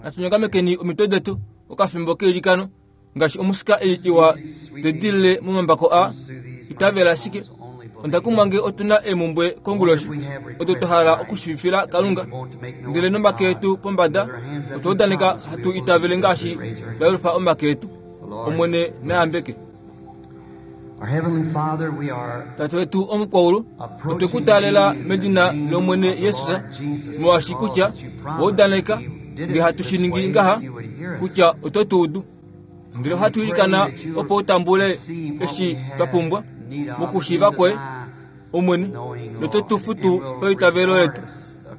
Natu nyongamekeni omitwe detu okafimbo keilikano ngaashi omusika ei iwa te dilile momambako a itavela ashike. Onda kumwa nge otu na eemumbwe konguloshi odo twa hala okushiivifila Kalunga, ndele nomake etu pombada otwa udaneka hatu itavele ngaashi twa yelufa omake etu. Omwene na yambeke. Tate wetu omukwaulu, otwe ku taalela medina lOmwene Jesus, molwaashi kutya wa udaneka nge hatu shi ningi ngaha kutya oto tu udu. Ndele ohatu ilikana opo u tambule eshi twa pumbwa mokushiiva kwoye, Omwene, noto tu futu paitavelo letu.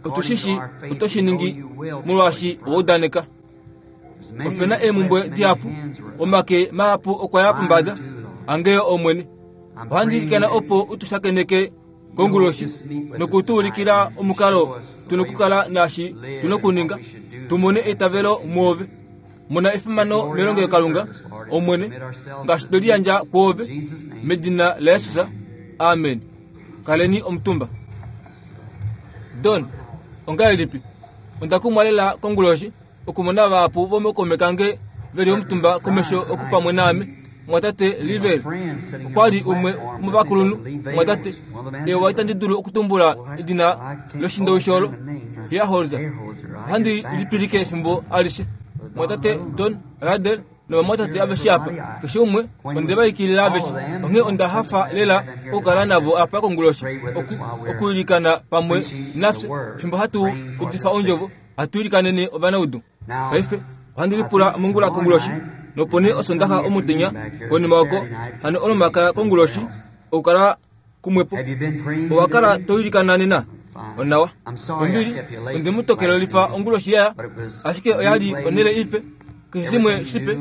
Otu shi shi oto shi ningi molwaashi owa udaneka. Ope na eemhumbwe dihapu, omake mahapu okwa ya pombada. Ange Omwene, ohandi ilikana opo u tu shakeneke konguloshi noku tu ulikila omukalo tu nokukala naashi tu nokuninga, tu mone eitavelo muove. Mona efimano melongelokalunga, Omwene, ngaashi twe liyandja kwoove, medina laJesus. Amen. Kaleni omutumba. Don, ongahelipi? Onda kumwa lela konguloshi okumona vahapu vomookaume kange ve li omutumba komesho oku pamwe naame. Mumwatate Livel okwa li umwe womovakulunhu. Mumwatate, ewa itandi dulu okutumbula edina loshindowishi olo, Hiaholzer. Ohandi lipilike efimbo alishe. Mumwatate Don Ruddell novamwatate aveshe apa, keshe umwe, onde va ikilila aveshe. Onghee onda hafa lela okukala navo apa konguloshi, oku, okwiilikana pamwe nafye fimbo hatu udifa ondjovo, hatu ilikanene ovanaudu. Paife, ohandi lipula mongula konguloshi, nopo nee Osondaxa omutenya, konima oko, hano Olomakaya konguloshi, okukala kumwepo. Owa kala to ilikana nena? Onawa. Ombili, onde mu tokelelifa onguloshi yaya, ashike oya li onhele ipe, keshe shimwe shipe,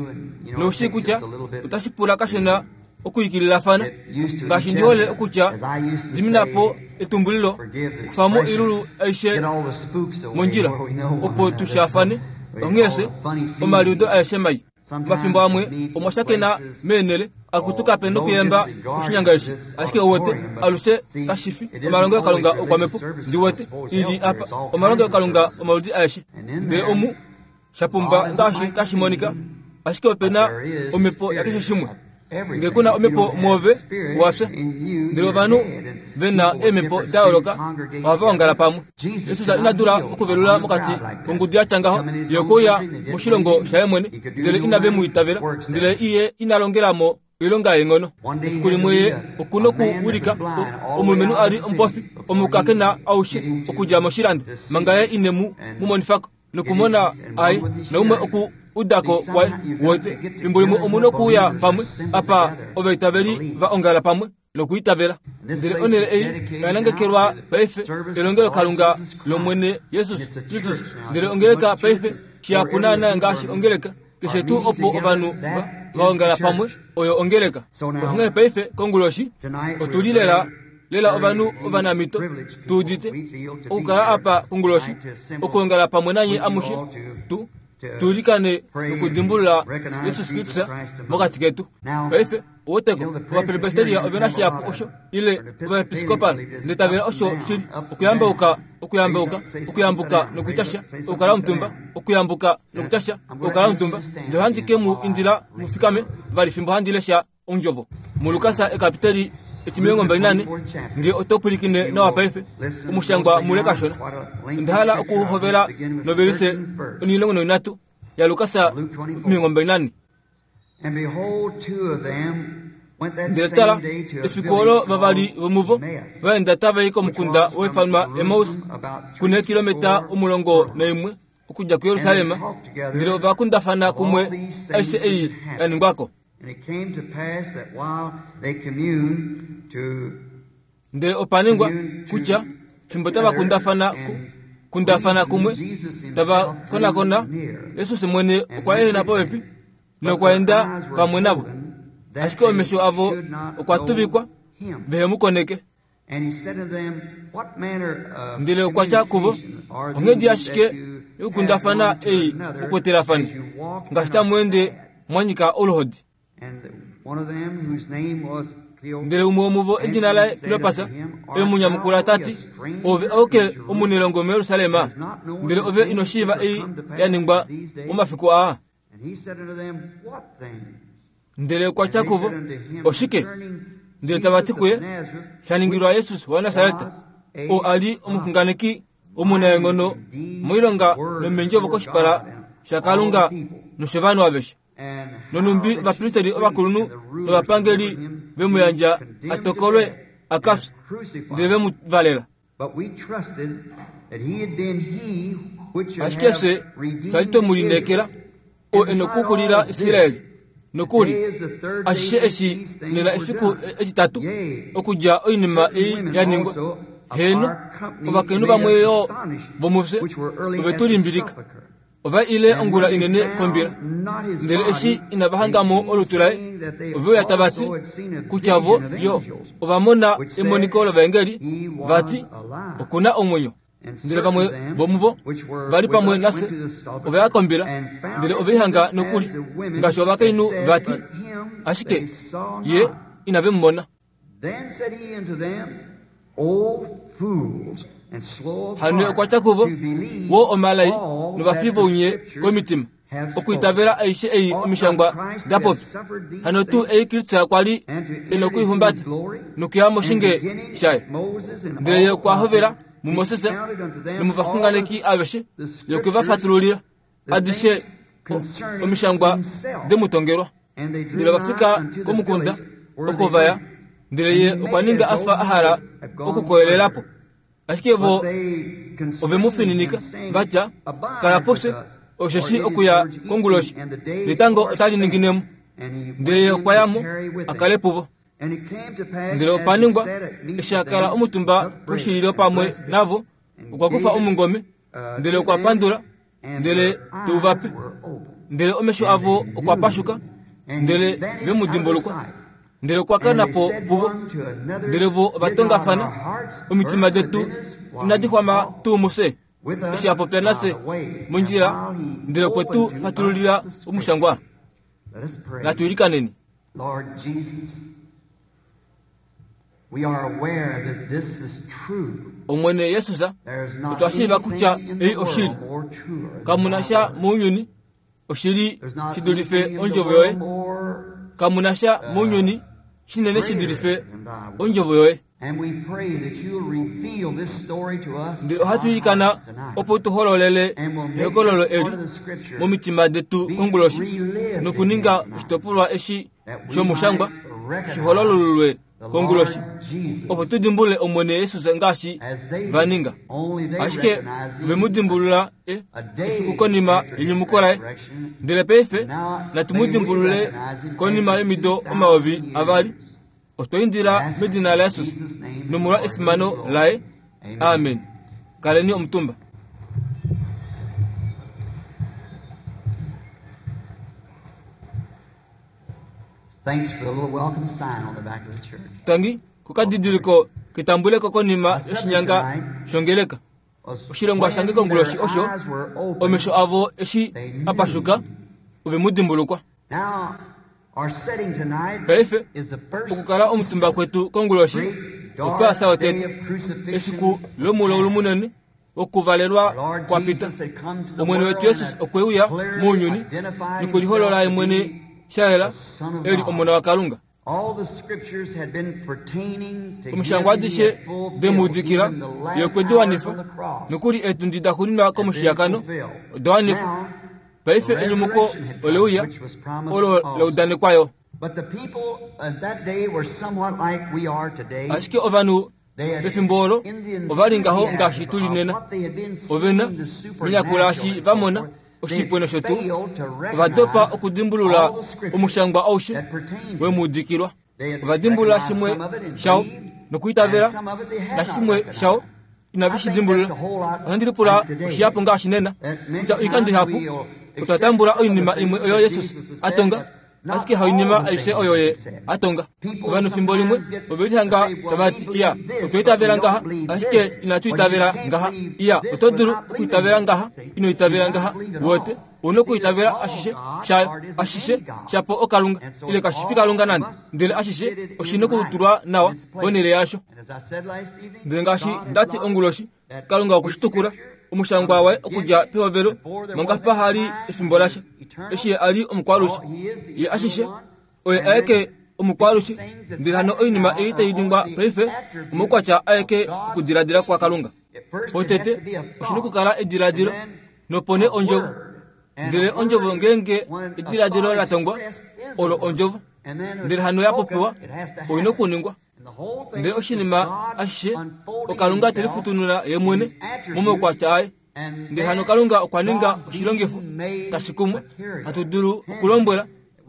nou shii kutya otashi pula kashona okwiikililafana. Ngaashi ndi hole okutya, dimina po etumbulilo, kufa mo oilulu aishe mondjila, opo tu shaafane. Onghee fye, omaliudo aeshe mai. Omafimbo amwe omwa shakena meenhele akutu kape nokuyemba koshinyanga eshi, ashike uwete, alushe kashi fi omalongelokalunga oukwamhepo. Ndi wete, i li apa, omalongelokalunga omaludi aeshe. Ndele omu, sha pumba ngaashi tashi monika, ashike ope na omhepo yakeshe shimwe. Nge ku na omhepo mwoove, owa fya. Ndele ovanhu ve na eemhepo da yooloka ohava ongala pamwe. Jesus ina dula okuvelula mokati kongudu ya tya ngaho. Ye okwe uya moshilongo shaye mwene, ndele inave mu itavela. Ndele ye ina longela mo oilonga yeenghono. Efiku limwe ye oku nokuwilika omulumenhu a li omupofi omukakena aushe okudja moshilando, manga ye ine mu mu monifa ko. nokumona aye naumwe oku udako kwaye wote fimbo limwe omu nokuuya pamwe apa ovaitaveli va ongala pamwe nokuitavela ndele onhele ei oya nangekelwa paife elongelokalunga lomwene jesus kristus ndele ongeleka paife shihapu naana ngaashi ongeleka keshe tuu opo ovanhu va ongala pamwe oyo ongeleka onghee paife konguloshi otu li lela lela ovanhu ovanamito tu udite okukala apa konguloshi okuongala pamwe nanye amushe tu tuulikane nokudimbulula Jesus Kristus mokati ketu. Paife, oweteko, Ovapresbiteria ove na shihapu osho, ile Ovaepiskopal, ndele tavela osho shili, okuyambauka, okuyambauka, okuyambuka nokutya sha, okukala omutumba, okuyambuka nokutya sha, okukala omutumba. Ndele ohandi ke mu indila mu fikame vali fimbo handi lesha Ondjovo. MuLukas ekapiteli etimilongo 24, nge oto pwilikine nawa paife, omushangwa mule kashona. Onda hala okuhovela novelise onhilongo noinhatu yaLukas 24. Ndele tala, efiku olo vavali vomuvo va enda tava i komukunda wa ifanwa Emaus, ku neekilometa 11 okudja kuJerusalem, ndele ova kundafana kumwe aishe ei ya ningwa ko. Ndele opa ningwa kutya fimbo tava kundafana kundafana kumwe tava konakona, Jesus mwene okwa ehena popepi nokwa enda pamwe navo, ashike omesho avo okwa tuvikwa vehe mu koneke. Ndele okwa tya kuvo, Onghedi ashike yokukundafana ei mu kwetelafane, ngaashi tamu ende mwa nyika oluhodi. Ndele umwe womuvo edina laye Klopas e mu nyamukula ta ti, Ove auke omunelongo muJerusalem, ndele ove ino shiiva ei ya ningwa momafiku aa? Ndele okwa tya kuvo, Oshike? Ndele tava ti kuye, Sha ningilwa Jesus waNasaret, oo a li omuxunganeki omunaenghono moilonga nomeendjovo koshipala shaKalunga noshovanhu aveshe. Nonhumbi ovapristeri ovakulunhu novapangeli ve mu yandja a tokolwe a ka fye, ndele ve mu valela. Ashike fye twa li twe mu lineekela, oo e nokukulila Israel. Nokuli, ashishe eshi nena efiku etitatu okudja oinima ei ya ningwa. Heeno, ovakainhu vamwe yo vomufye ove tu limbilika. Ova ile ongula inene kombila, ndele eshi inava hanga mo olutu laye, ove uya tava ti kutya vo yo ova mona emoniko lovaengeli, va ti, Oku na omwenyo. Ndele vamwe vomuvo va li pamwe nafye ova ya kombila, ndele ove i hanga nokuli ngaashi ovakainhu va ti, ashike ye inave mu mona. Hano okwa tya kuvo, Woo omalai novafi vounye komitima, okwiitavela aishe ei omishangwa da popya. Hano tuu ei Kristus kwa li e nokuihumbata nokuya moshinge shaye. Ndele ye okwa hovela muMoses nomovaxunganeki aveshe, ye okwe va fatululila adishe omishangwa de mu tongelwa. Ndele ova fika komukunda oko va ya, ndele ye okwa ninga a fa a hala okukoyelela po. Ashike vo ove mu fininika, va tya, Kala pufye, osheshi okuya konguloshi, netango otali ningine mo. Ndele ye okwa ya mo a kale puvo. Ndele opa ningwa, eshi a kala omutumba poshililo pamwe navo, okwa kufa omungome, ndele okwa pandula, ndele te u va pe. Ndele omesho avo okwa pashuka, ndele ve mu dimbulukwa. Ndele okwa kana po puvo. Ndele vo ova tongafana, Omitima detu inadi xwama tuu mufye, eshi a popya nafye mondjila, ndele okwe tu fatululila omushangwa? Natu ilikaneni. Omwene Jesus, otwa shiiva kutya ei oshili. Kamu na sha mounyuni oshili shi dulife ondjovo yoye. Kamu na sha mounyuni shinene shi dulife ondjovo yoye. Ndele ohatu ilikana opo tu hololele ehokololo eli momitima detu konguloshi nokuninga oshitopolwa eshi shomushangwa shi hololululwe konguloshi opo tu dimbulule Omwene Jesus ngaashi va ninga. Ashike ove mu dimbulula e, efiku konima yenyumuko laye. Ndele paife natu mu dimbulule konima yomido 2000. Otwa indila medina laJesus nomolwa efimano laye. Amen. Kaleni omutumba. Tangi kokadidiliko ketambuleko konima yoshinyanga shongeleka. Oshilongwa shange konguloshi osho omesho avo eshi a pashuka ove mu dimbulukwa. Paife, okukala omutumba kwetu konguloshi opaasa yotete, efiku lomulaulu munene wokuvalelwa kwa pita. Omwene wetu Jesus okwe uya mounyuni nokuliholola ye mwene sha yela e li Omona waKalunga. Omishangwa adishe de mu udikila, ye okwe di wanifa, nokuli eetundi da xuuninwa komushiyakano oda wanifwa. Paife enyumuko ole uya, olo la udanekwa yo. Ashike ovanhu pefimbo olo ova li ngaho ngaashi tu li nena. Ove na, menyakula eshi va mona oshipwe nosho tuu, ova dopa okudimbulula omushangwa aushe we mu udikilwa. Ova dimbulula shimwe shao nokuitavela, nashimwe shao inave shi dimbulula. Ohandi lipula oshihapu ngaashi nena, kutya oikando ihapu otwa tambula oinima imwe oyo Jesus a tonga. Ashike hainima aishe oyo ye a tonga. Ovanhu fimbo limwe ove lihanga tava ti, Iya, otwa itavela ngaha, ashike inatu itavela ngaha. Iya, oto dulu okuitavela ngaha, ino itavela ngaha. Uwete, ou na okuitavela ashishe shayo, ashishe shapo oKalunga, ile kashi fi Kalunga nande. Ndele ashishe oshi nokutulwa nawa ponhele yasho. Ndele ngaashi nda ti onguloshi, Kalunga okwe shi tukula omushangwa waye okudja pehovelo manga paha li efimbo lasha, eshi ye a li omukwalushe. Ye ashishe oye aeke omukwalushe, ndele hano oinima ei tai ningwa paife omaukwatya aeke okudiladila kwaKalunga. Potete oshi nokukala ediladilo, nopo nee ondjovo. Ndele ondjovo ngeenge ediladilo la tongwa, olo ondjovo. Ndele hano ya popiwa, oi nokuningwa. Ndele oshinima ashishe oKalunga te lifutunula ye mwene momaukwatya aye. Ndele hano Kalunga okwa ninga oshilongifo tashi kumwa hatu dulu okulombwela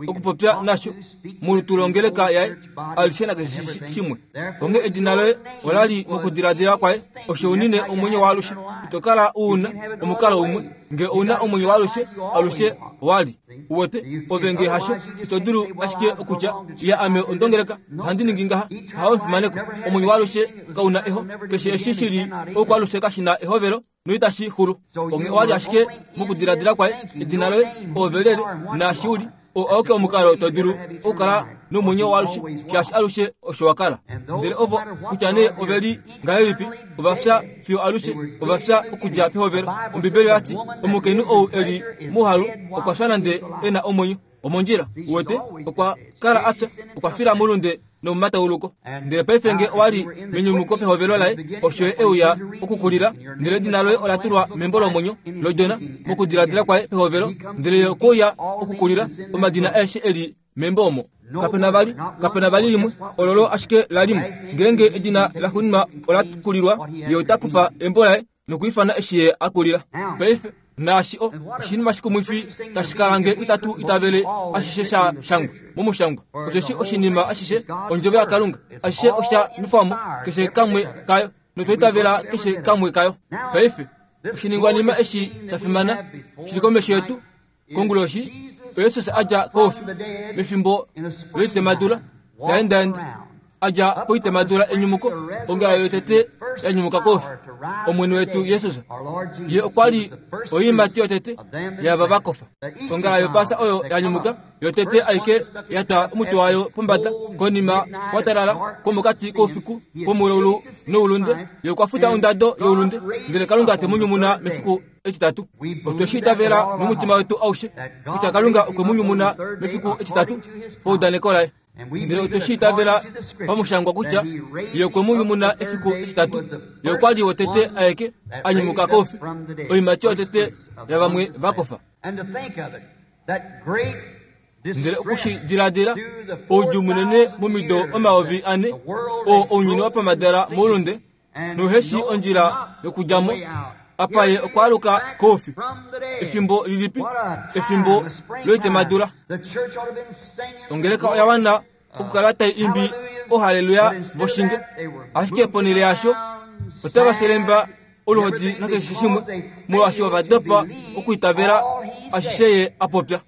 okupopya nasho molutu longeleka yaye alishe nakeshe shimwe. Onghee edina loye ola li mokudiladila kwaye, osho unine omwenyo waalushe. Ito kala u na omukalo umwe nge ou na omwenyo waalushe, alushe wa li. Uwete, ove nge hasho, ito dulu ashike okutya, Ya, ame ondongeleka, ohandi ningi ngaha. Hawo omufimaneko. Omwenyo waalushe kau na eho. Keshe eshi shi li oukwaalushe kashi na ehovelo noitashi xulu. Onghee owa li ashike mokudiladila kwaye, edina loye, oove lyelye, naashi u li. Oo auke omukalo to dulu okukala nomwenyo waalushe, shaashi alushe osho wa kala. Ndele ovo, kutya nee ove li ngahelipi, ova fya fiyo alushe, ova fya okudja pehovelo. Ombibeli oya ti, Omukainhu ou e li mouhalu okwa fya nande e na omwenyo. Omondjila, uwete, okwa kala a fya, okwa fila moulunde nomomatauluko. Ndele paife nge owa li menyumuko pehovelo laye, osho ye e uya okukulila, ndele edina loye ola tulwa membo lomwenyo lOdjona mokudiladila kwaye pehovelo, ndele ye okwe uya okukulila omadina aeshe e li membo omo. Kape na vali, kape na vali limwe, ololo ashike la li mo. Ngeenge edina laxuuninwa ola kulilwa, ye ota kufa embo laye nokwiifana eshi ye a kulila. Paife, naashi o, oshinima shikumwifi tashi kala nge itatu itavele ashishe sha shangwa momushangwa, osheshi oshinima ashishe ondjovo yaKalunga, ashishe osha nufwamo, keshe kamwe kayo, notwa itavela keshe kamwe kayo. Paife, oshiningwanima eshi sha fimana shi li komesho yetu konguloshi, oJesus a dja koufi mefimbo loitemadula, ta endaenda a dja poitemadula enyumuko, ongela yotete ya nyumuka koufi, Omwene wetu Jesus. Ye okwa li oiimati yotete yaava va kofa. Ongala yOpaasa oyo ya nyumuka yotete aike ya twa omutwe wayo pombada konima kwa talala kwomokati koufiku kwomulaulu noulunde. Ye okwa futa ondado youlunde, ndele Kalunga te mu nyumuna mefiku etitatu. Otwe shi itavela nomutima wetu aushe kutya Kalunga okwe mu nyumuna mefiku etitatu paudaneko laye. Ndele otwe shi itavela pamushangwa kutya ye okwe mu nyumuna efiku etitatu. Ye okwa li wotete aeke a nyumuka koufi, oiimati yotete yavamwe va kofa. Ndele oku shi diladila, oudjuu munene momido 4000 oo ounyuni wa pamhadala moulunde, nohe shii ondjila yokudja mo. Apa ye okwa aluka koufi. Efimbo lilipi? Efimbo loitemadula. Ongeleka oya wana okukala tai imbi ohaleluya voshinge, ashike ponhele yaasho otava shelemba oluhodi nakeshe shimwe, molwaashi ova dopa okwiitavela ashishe ye a popya.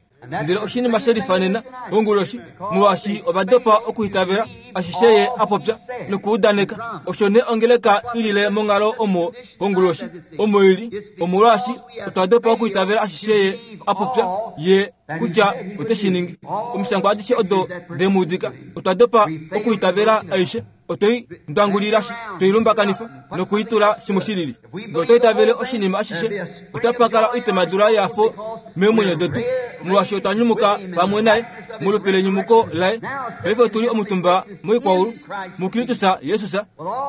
Ndele oshinima she lifanena onguloshi, molwaashi ova dopa okuitavela ashishe ye a popya nokuudaneka. Osho nee ongeleka i lile monghalo omo konguloshi, omo i li, omolwaashi otwa dopa okuitavela ashishe ye a popya, ye kutya ote shi ningi. Omishangwa adishe odo de mu udika, otwa dopa okuitavela aishe. Otwe i ndwangulila, twe i lumbakanifa noku i tula shimwe shi lili. Ngee otwa itavele oshinima ashishe, otapa kala oitemadula yehafo meemwenyo detu, molwaashi otwa nyumuka pamwe naye molupe lenyumuko laye. Paife otu li omutumba moikwaulu muKristus Jesus,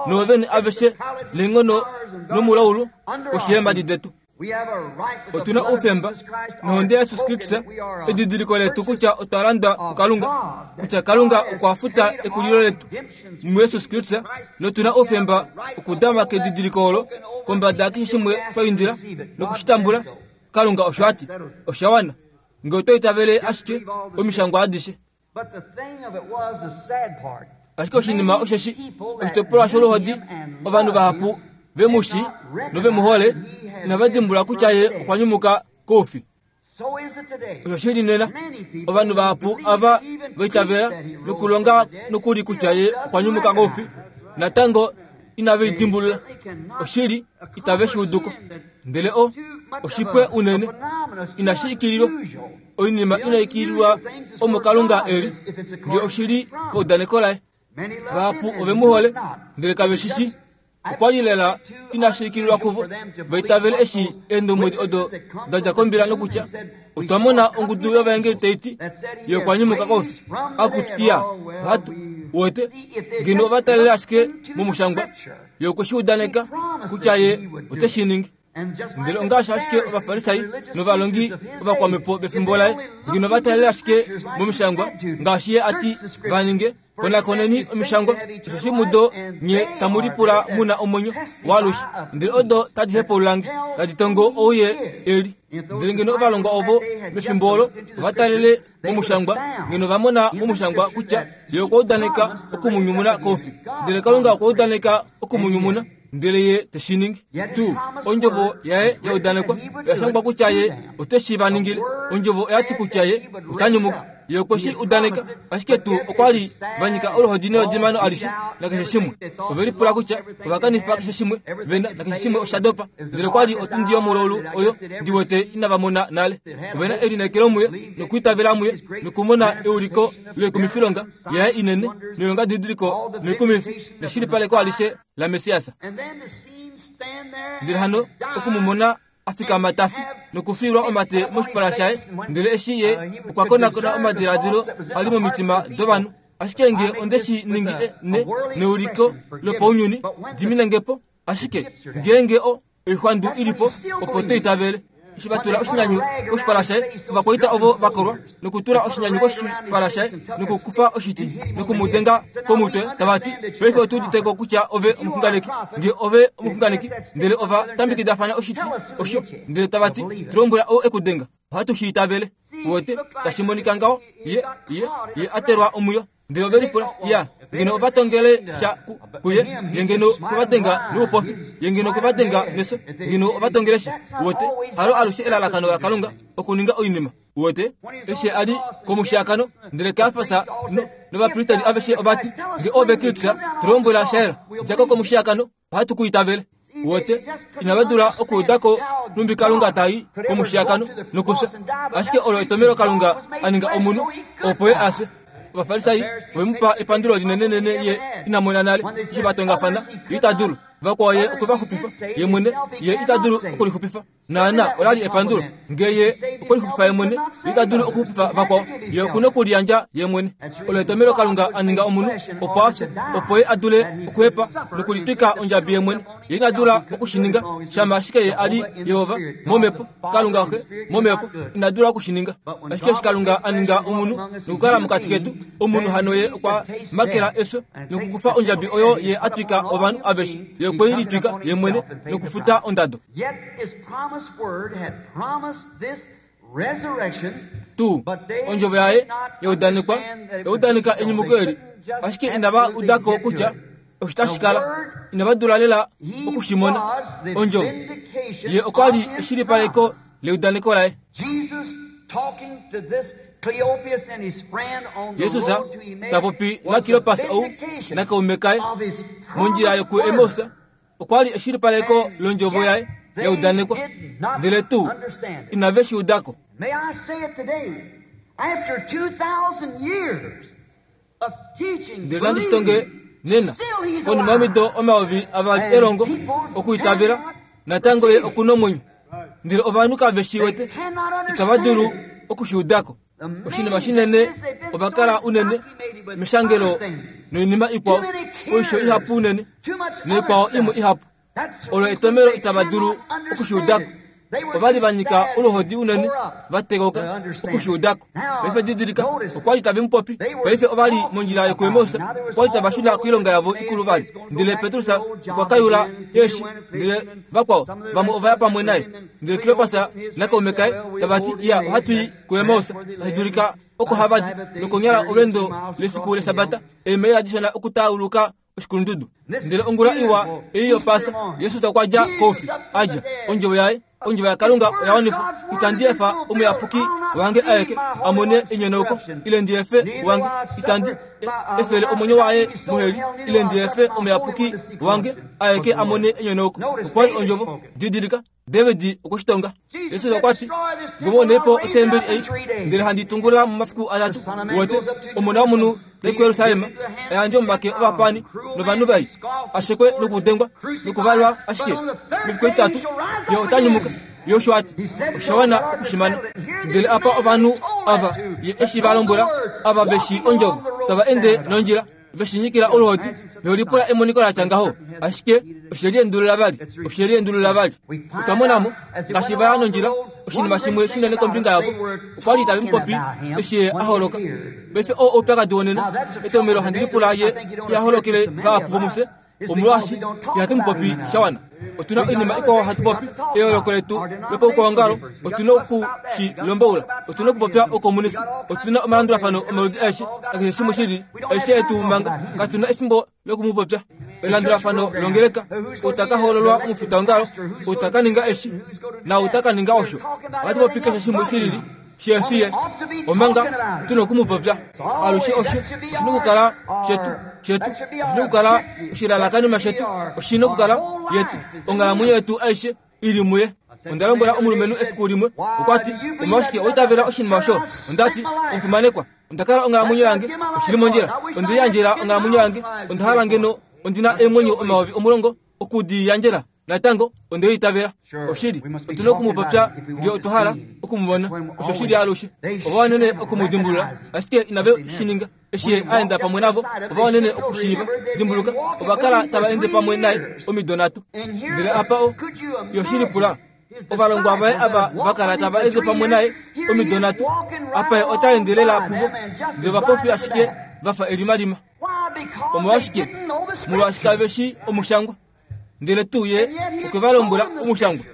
noovene aveshe neenghono nomulaulu koshi yeemhadi detu. Otu na oufemba nohonde yaJesus Kristus, edidiliko letu kutya otwa landwa kuKalunga, kutya Kalunga okwa futa ekulilo letu muJesus Kristus, notu na oufemba okudama kedidiliko olo kombada yakeshe shimwe twa indila noku shi tambula. Kalunga osho a ti, osha wana nge oto itavele ashike omishangwa adishe. Ashike oshinima osheshi, oshitopolwa sholuhodi, ovanhu vahapu ve mu shii nove mu hole inava dimbulula kutya ye okwa nyumuka koufi. Osho shi li nena, ovanhu vahapu ava va itavela nokulonga nokuli kutya ye okwa nyumuka koufi, natango inave i dimbulula. Oshili, itave shi udu ko. Ndele o, oshipwe unene, inashi ikililwa, oinima inai ikililwa omo Kalunga e li, nge oshi li paudaneko laye. Vahapu ove mu hole, ndele kave shi shii. Okwa li lela inashi ikililwa kuvo va itavele eshi eendombwedi odo da dja kombila nokutya otwa mona ongudu yovaengeli tai ti ye okwa nyumuka koufi. Akutu, iya, ohatu wete ngeno ova talele ashike momushangwa, ye okwe shi udaneka kutya ye ote shi ningi. Ndele ongaashi ashike Ovafarisai novalongi ovakwamhepo vefimbo laye, ngeno va talele ashike momishangwa ngaashi ye a ti va ninge, konakoneni omishangwa, osheshi mudo nye tamu lipula mu na omwenyo waalushe, ndele odo tadi hepaulula nge, tadi tongo ou ye e li. Ndele ngeno ovalongwa ovo mefimbo olo ova talele momushangwa, ngeno va mona momushangwa kutya ye okwa udaneka oku mu nyumuna koufi. Ndele Kalunga okwa udaneka oku mu nyumuna, ndele ye te shi ningi. Tuu ondjovo yaye ya udanekwa oya shangwa kutya ye ote shi va ningile. Ondjovo oya ti kutya ye ota nyumuka. Ye okwe shi udaneka, ashike tuu okwa li va nyika oluhodi neodimano alishe nakeshe shimwe. Ove lipula kutya ova kanifa keshe shimwe ve na, nakeshe shimwe osha dopa. Ndele okwa li otundi yomulaulu oyo ndi wete inava mona nale. Ove na elineekelo muye nokwiitavela muye nokumona euliko loikumifilonga yaye inene noilongadidiliko noikumifi neshilipaleko alishe laMessias. Ndele hano oku mu mona a fikama ta fi nokufiilwa omate moshipala shaye, ndele eshi ye okwa konakona omadiladilo a li momitima dovanhu. Ashike nge onde shi ningi ne, neuliko lopaunyuni, dimine nge po. Ashike ngeenge o, oixwandu i li po, opo to itavele. Eshi va tula oshinyanyu koshipala shaye, ovakwaita ovo va kolwa nokutula oshinyanyu koshipala shaye nokukufa oshiti noku mu denga komutwe, tava ti, Paife otu udite ko kutya ove omuxunganeki. Nge ove omuxunganeki, ndele ova tambekidafana oshiti osho, ndele tava ti, Tu lombwela ou e ku denga. Ohatu shi itavele. Uwete, tashi monika ngaho, ye, ye, ye a telwa omwiyo. Ndele ove lipula, ya, ngeno ova tongele sha ku, kuye, ye ngeno okwe va denga noupofi, ye ngeno okwe va denga nefyo, ngeno ova tongele sha. Uwete, halo alushe elalakano laKalunga okuninga oinima. Uwete, eshi a li komushiyakano, ndele Kajafas no, novapristeli aveshe ova ti, Nge ove Kristus, tu lombwela sha yela, dja ko komushiyakano, ohatu ku itavele. Uwete, inava dula okuuda ko nhumbi Kalunga ta i komushiyakano nokufya. Ashike olo etomhelo Kalunga a ninga omunhu, opo ye a fye. Ovafarisai ove mu pa epandulo linenenene ye ina mona nale, eshi va tongafana, ye ita dulu. Vakwao ye okwe va xupifa, ye mwene ye ita dulu okulixupifa. Naana, ola li epandulo. Nge ye okwe lixupifa ye mwene, ye ita dulu okuxupifa vakwao. Ye oku na okuliyandja ye mwene. Olo etomhelo Kalunga a ninga omunhu, opo a fye, opo ye a dule okuhepa nokulitwika ondjabi ye mwene. Ye ina dula oku shi ninga, shama ashike ye a li Jehova, momhepo, Kalunga Xe, momhepo, ina dula oku shi ninga. Ashike eshi Kalunga a ninga omunhu nokukala mokati ketu, omunhu hano ye okwa makela efyo nokukufa ondjabi oyo ye a twika ovanhu aveshe. Ye okwe i litwika ye mwene nokufuta ondado. Tuu ondjovo yaye ya udanekwa, ya udaneka enyumuko eli, ashike inava uda ko kutya osho tashi kala. Inava dula lela oku shi mona. Ondjovo ye okwa li eshilipaleko leudaneko laye. Jesus ta popi naKleopas ou nakaume kaye mondjila yokuEmaus. Okwa li eshilipaleko londjovo yaye ya udanekwa, ndele tuu inave shi uda ko. Ndele nandi shi tonge nena, konima yomido 2000 elongo, okuitavela, natango ye oku nomwenyo. Ndele ovanhu kave shi wete, itava dulu oku shi uda ko. Oshinima shinene, ova kala unene meshangelo noinima ikwao, oisho ihapu unene, naikwao imwe ihapu. Olo etomhelo itava dulu oku shi uda ko. Ova li va nyika oluhodi unene, va tekoka oku shi uda ko. Paife didilika, okwa li tave mu popi. Paife ova li mondjila yokuEmaus, okwa li tava shuna koilonga yavo ikulu vali. Ndele Petrus okwa kayula eeshi, ndele vakwao vamwe ova ya pamwe naye. Ndele Kleopas nakaume kaye tava ti, Iya, ohatu i kuEmaus, tashi dulika oko hava di, nokonyala olweendo lefiku lEshabata, eemaila dishona okutauluka oshikulundudu. Ndele ongula iwa ei yOpaasa, Jesus okwa dja koufi, a dja. Ondjovo yaye Ondjovo yaKalunga oya wanifwa. Itandi efa omuyapuki wange aeke a mone enyonauko, ile ndi efe wange. Itandi efele omwenyo waye moheli, ile ndi efe omuyapuki wange aeke a mone enyonauko. Okwa li ondjovo. Didilika, David okwe shi tonga. Jesus okwa ti, Ngomonei po otembeli ei, ndele handi tungulula momafiku atatu. Wote, Omona womunhu tai kuJerusalem, a yandjwe momake ovapaani novanhu vai, a shekwe nokudengwa nokuvalwa ashike mefiku etitatu ye ota nyumuka. Ye osho a ti, Osha wana oku shi mana. Ndele apa ovanhu ava ye eshi va lombwela, ava ve shii ondjovo, tava ende nondjila, ve shi nyikila oluhodi, ve lipula emoniko la tya ngaho. Ashike oshe liendulula vali, oshe liendulula vali. Otwa mona mo, ngaashi va ya nondjila, oshinima shimwe shinene kombinga yavo. Okwa li tave mu popi eshi ye a holoka. Paife oo oupyakadi wonena, etomhelo handi lipula ye iha holokele vahapu vomufye, omolwaashi ihatu mu popi sha wana. Otu na oinima ikwao hatu popi, eyooloko letu lopaukwaongalo, otu na oku shi lomboula, otu na okupopya oukomunisi, otu na omalandulafano omaludi aeshe, nakeshe shimwe shi lili, aishe yetu manga. Katu na efimbo loku mu popya. Elandulafano longeleka, ou ta ka hoololwa omufitaongalo, ou ta ka ninga eshi, naau ta ka ninga osho. Ohatu popi keshe shimwe shi lili, shi efi ye, omanga tu na oku mu popya. Alushe osho oshi na okukala shetu, shetu, oshi na okukala oshilalakanenwa shetu, oshi na okukala yetu, onghalamwenyo yetu aishe i li muye. Onda lombwela omulumenhu efiku limwe, okwa ti, Omolwashike wa itavela oshinima osho? Onda ti, Omufimanekwa, onda kala onghalamwenyo yange, oshi li mondjila. Onde liyandjela onghalamwenyo yange, onda hala ngeno ondi na eemwenyo 10,000 oku di yandjela. Natango, onde liitavela. Oshili, otu na oku mu popya ngee otwa hala oku mu mona. Osho shi li alushe. Ova wanene oku mu dimbulula, ashike inave shi ninga. Eshi ye a enda pamwe navo, ova wanene okushiiva. Dimbuluka, ova kala tava ende pamwe naye omido nhatu. Ndele apa o, yo shi lipula, ovalongwa vaye ava va kala tava ende pamwe naye omido nhatu, apa ye ota ende lela puvo, ndele ovapofi ashike va fa elimalima. Omolwashike? Molwaashi kave shii Omushangwa. Ndele tuu ye okwe va lombwela Omushangwa.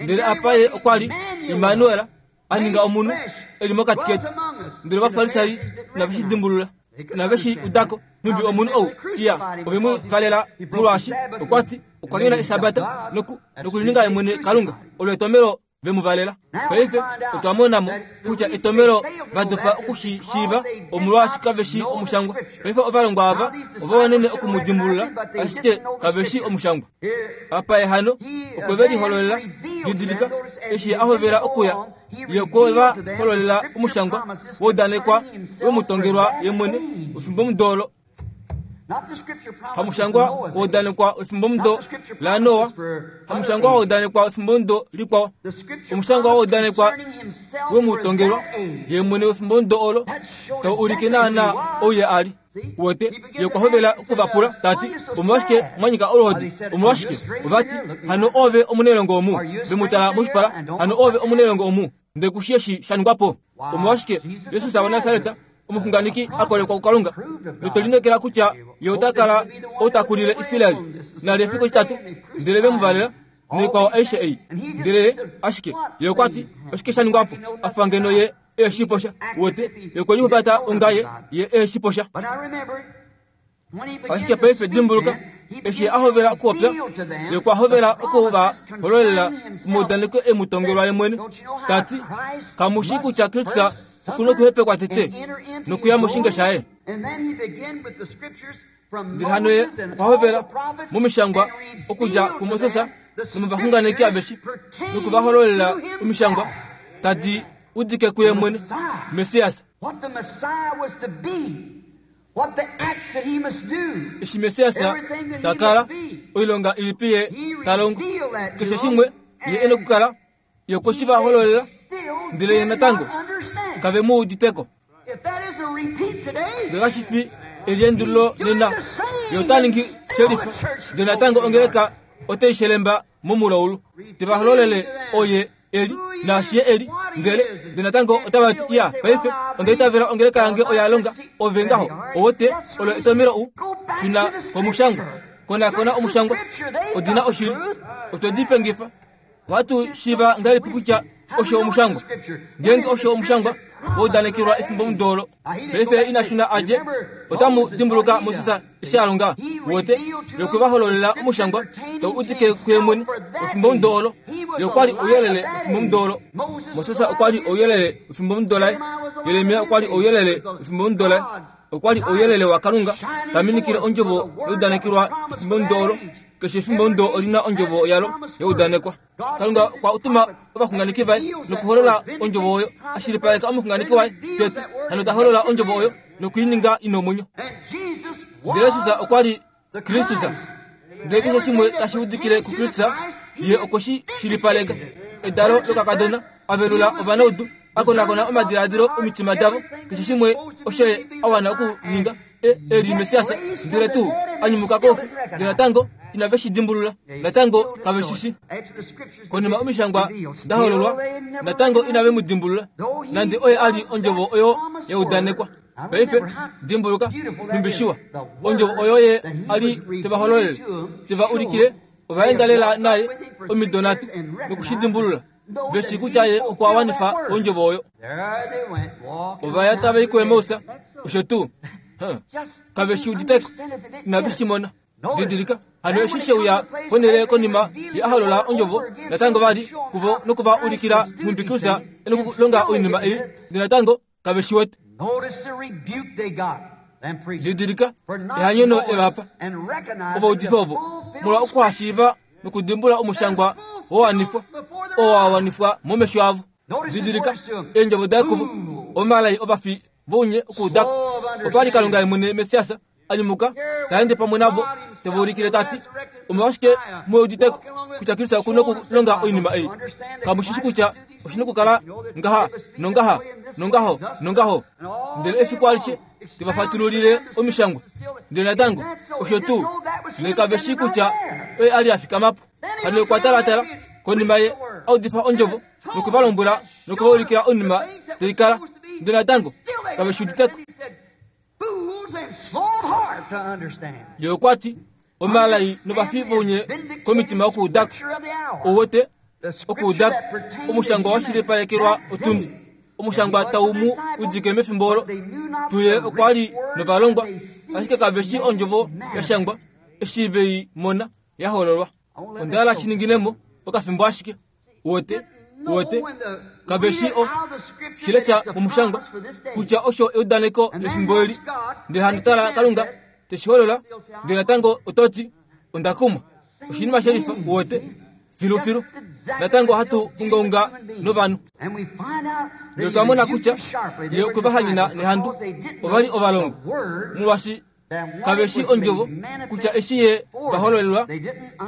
Ndele apa ye okwa li, Immanuel, a ninga omunhu e li mokati ketu. Ndele Ovafarisai inave shi dimbulula, inave shi uda ko, nhumbi omunhu ou iya. Ove mu valela molwaashi okwa ti okwa nyona Eshabata noku nokulininga ye mwene Kalunga. Olo etomhelo ve mu valela. Paife otwa mona mo kutya etomhelo va dopa oku shi shiiva omolwaashi kave shii Omushangwa. Paife ovalongwa ava ova wanene oku mu dimbulula, ashike kave shii Omushangwa. Apa ye hano okwe ve lihololela, didilika, eshi ye a hovela okuya, ye okwe va hololela omushangwa wa udanekwa we mu tongelwa ye mwene wefimbomudo olo. Hamushangwa wa udanekwa wefimbomudo laNoa, hamushangwa wa udanekwa wefimbomudo likwao, omushangwa wa udanekwa we mu tongelwa ye mwene wefimbomudo olo, tau ulike naanaa ou ye a li. Wete, ye okwa hovela oku va pula, ta ti, Omolwashike mwa nyika oluhodi? Omolwashike? Ova ti, Hano oove omunailongo omu? Ve mu tala moshipala, Hano oove omunailongo omu? Ndele ku shii eshi sha ningwa po. Omolwashike, Jesus waNasaret, omuxunganeki a kolekwa kuKalunga, notwe lineekela kutya ye ota kala ou ta kulile Israel, nali efiku etitatu, ndele ve mu valela, noikwao aishe ei. Ndele ye, ashike, ye okwa ti, Oshike sha ningwa po? A fa ngeno ye e shi posha. Wete, ye okwe lihumbata onga ye, ye e shi posha. Ashike paife dimbuluka, eshi a hovela okupopya, ye okwa hovela oku va hololela omaudaneko e mu tongelwa ye mwene, ta ti, Kamu shii kutya Kristus oku na okuhepekwa tete nokuya moshinge shaye? Ndele hano ye okwa hovela momishangwa okudja kuMoses nomovaxunganeki aveshe noku va hololela omishangwa tadi udike kuye mwene, Messias. Eshi Messias ta kala, oilonga ilipi ye ta longo? Keshe shimwe ye e nokukala, ye okwe shi va hololela, ndele ye natango kave mu udite ko. Ndele kashi fi eliendululo nena, ye ota ningi shelifa, ndele natango ongeleka otai shelemba momulaulu, te va hololele oye eli naashi ye eli, ndele ndele natango otava ti, Iya, paife onda itavela ongeleka yange oya longa. Ove ngaho, owote, olo etomhelo u shuna komushangwa. Konakona omushangwa, odi na oshili. Otwe di pengifa. Ohatu shiiva ngahelipi kutya osho omushangwa? Ngeenge osho omushangwa, wa udanekelwa efimbomudo olo. Paife ina shuna a dje. Otamu dimbuluka Moses eshi a longa? Wote, ye okwe va hololela omushangwa tau udike kuye mwene wefimbomudo olo. Ye okwa li ouyelele wefimbomudo olo. Moses okwa li ouyelele wefimbomudo laye. Jeremia okwa li ouyelele wefimbomudo laye. Okwa li ouyelele waKalunga ta minikile ondjovo ya udanekelwa efimbomudo olo. Keshe efimbomudo oli na ondjovo yalo ya udanekwa. Kalunga okwa tuma ovaxunganeki vaye nokuholola ondjovo oyo, a shilipaleka omuxunganeki waye tete, hano ta holola ondjovo oyo noku i ninga i nomwenyo. Ndele Jesus okwa li Kristus. Ndele keshe shimwe tashi udikile kuKristus, ye okwe shi shilipaleka. Edalo lokakadona, a velula ovanaudu, a konakona omadiladilo omitima davo, keshe shimwe osho ye a wana okuninga. E, e li Messias, ndele tuu a nyumuka koufi, ndele natango inave shi dimbulula, natango kave shi shi. Konima omishangwa da hololwa, natango inave mu dimbulula, nande oye a li ondjovo oyo ya udanekwa. Paife, dimbuluka, nhumbi shiwa ondjovo oyo ye a li te va hololele, te va ulikile, ova enda lela naye omido nhatu noku shi dimbulula. Ve shii kutya ye okwa wanifa ondjovo oyo. Ova ya tava i kuEmaus, osho tuu. Kave shi uditeko, inave shi mona. Didilika, hano eshi she uya ponhele konima ye a holola ondjovo natango vali kuvo noku va ulikila nhumbi Kristus e nokulonga oinima ei, ndele natango kave shi wete. Didilika ehanyono le va pa ovaudifi ovo molwa okuhashiiva nokudimbula omushangwa wa wanifwa oo wa wanifwa momesho avo. Didilika eendjovo daye kuvo, omalai ovafi vounye okuudako. Opa li Kalunga ye mwene Messias a nyumuka ta ende pamwe navo te va ulikile ta ti, Omolwashike mu udite kutya Kristus oku na okulonga oinima ei? Kamu shi shi kutya oshi na okukala ngaha nongaha nongaho nongaho? Ndele efiku alishe te va fatululile omishangwa. Ndele natango osho tuu, ndele kave shii kutya oye a li a fikama po. Hano okwa talatala konima ye a udifa ondjovo noku va lombwela noku va ulikila oinima tai kala, ndele natango kave shi udite ko. Ye okwa ti, Omalai novafi vounye komitima okuudako. Ou wete? Okuudako. Omushangwa wa shilipalekelwa otundi. Omushangwa tau mu udike mefimbo olo. Tuye okwa li novalongwa, ashike kave shii ondjovo ya shangwa eshi ve i mona ya hololwa. Onda hala shi ningine mo okafimbo ashike. Uwete? Uwete? Kave shi o shi lesha momushangwa kutya osho eudaneko lefimbo eli. Ndele hano tala Kalunga te shi holola, ndele natango oto ti, Onda kumwa. Oshinima shelifa, uwete? Filufilu. Natango ohatu ungaunga novanhu. Ndele otwa mona kutya ye okwe va hanyena nehandu. Ova li ovalongwa. Molwaashi Kave shi ondjovo kutya eshi ye va hololelwa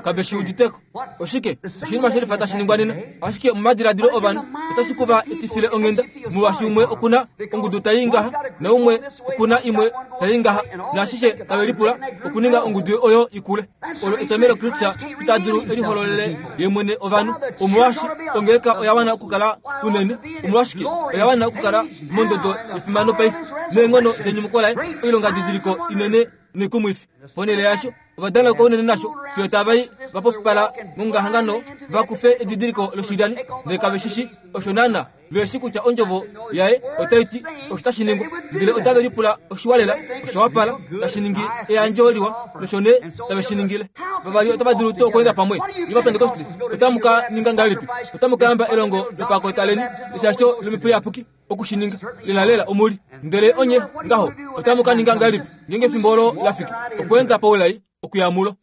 kave shi uditeko. Oshike oshinima shelifa tashi ningwa nena? Ashike momadiladilo ovanhu otashi ku va etifile onghenda, molwaashi umwe oku na ongudu tai ngaha naumwe oku na imwe tai ngaha, naashishe tave lipula okuninga ongudu oyo i kule. Olo etomhelo Kristus ita dulu e lihololele ye mwene ovanhu. Omolwaashi ongeleka oya wana okukala unene. Omolwashike oya wana okukala mondodo yefimano paife neenghono denyumuko laye, oilongadidiliko inene noikumwifi. Ponhele yaasho, ova danauka unene nasho fiyo tava i va pofipala mongahangano va kufe edidiliko loshilyani, ndele kave shi shi osho naanaa ve shi kutya ondjovo yaye otai ti osho tashi ningwa, ndele otave lipula oshiwa lela, osha wapala, tashi ningi eyandjo liwa, nosho nee tave shi ningile. Vavali otava dulu tuu okweenda pamwe? Nye Ovapentekoste, otamu ka ninga ngahelipi? Otamu ka yamba elongo lopakota leni eshasho lOmhepo Iyapuki oku shi ninga? Lelalela omu li. Ndele onye ngaho otamu ka ninga ngahelipi ngeenge efimbo olo la fiki okweenda paulai okuya mulo?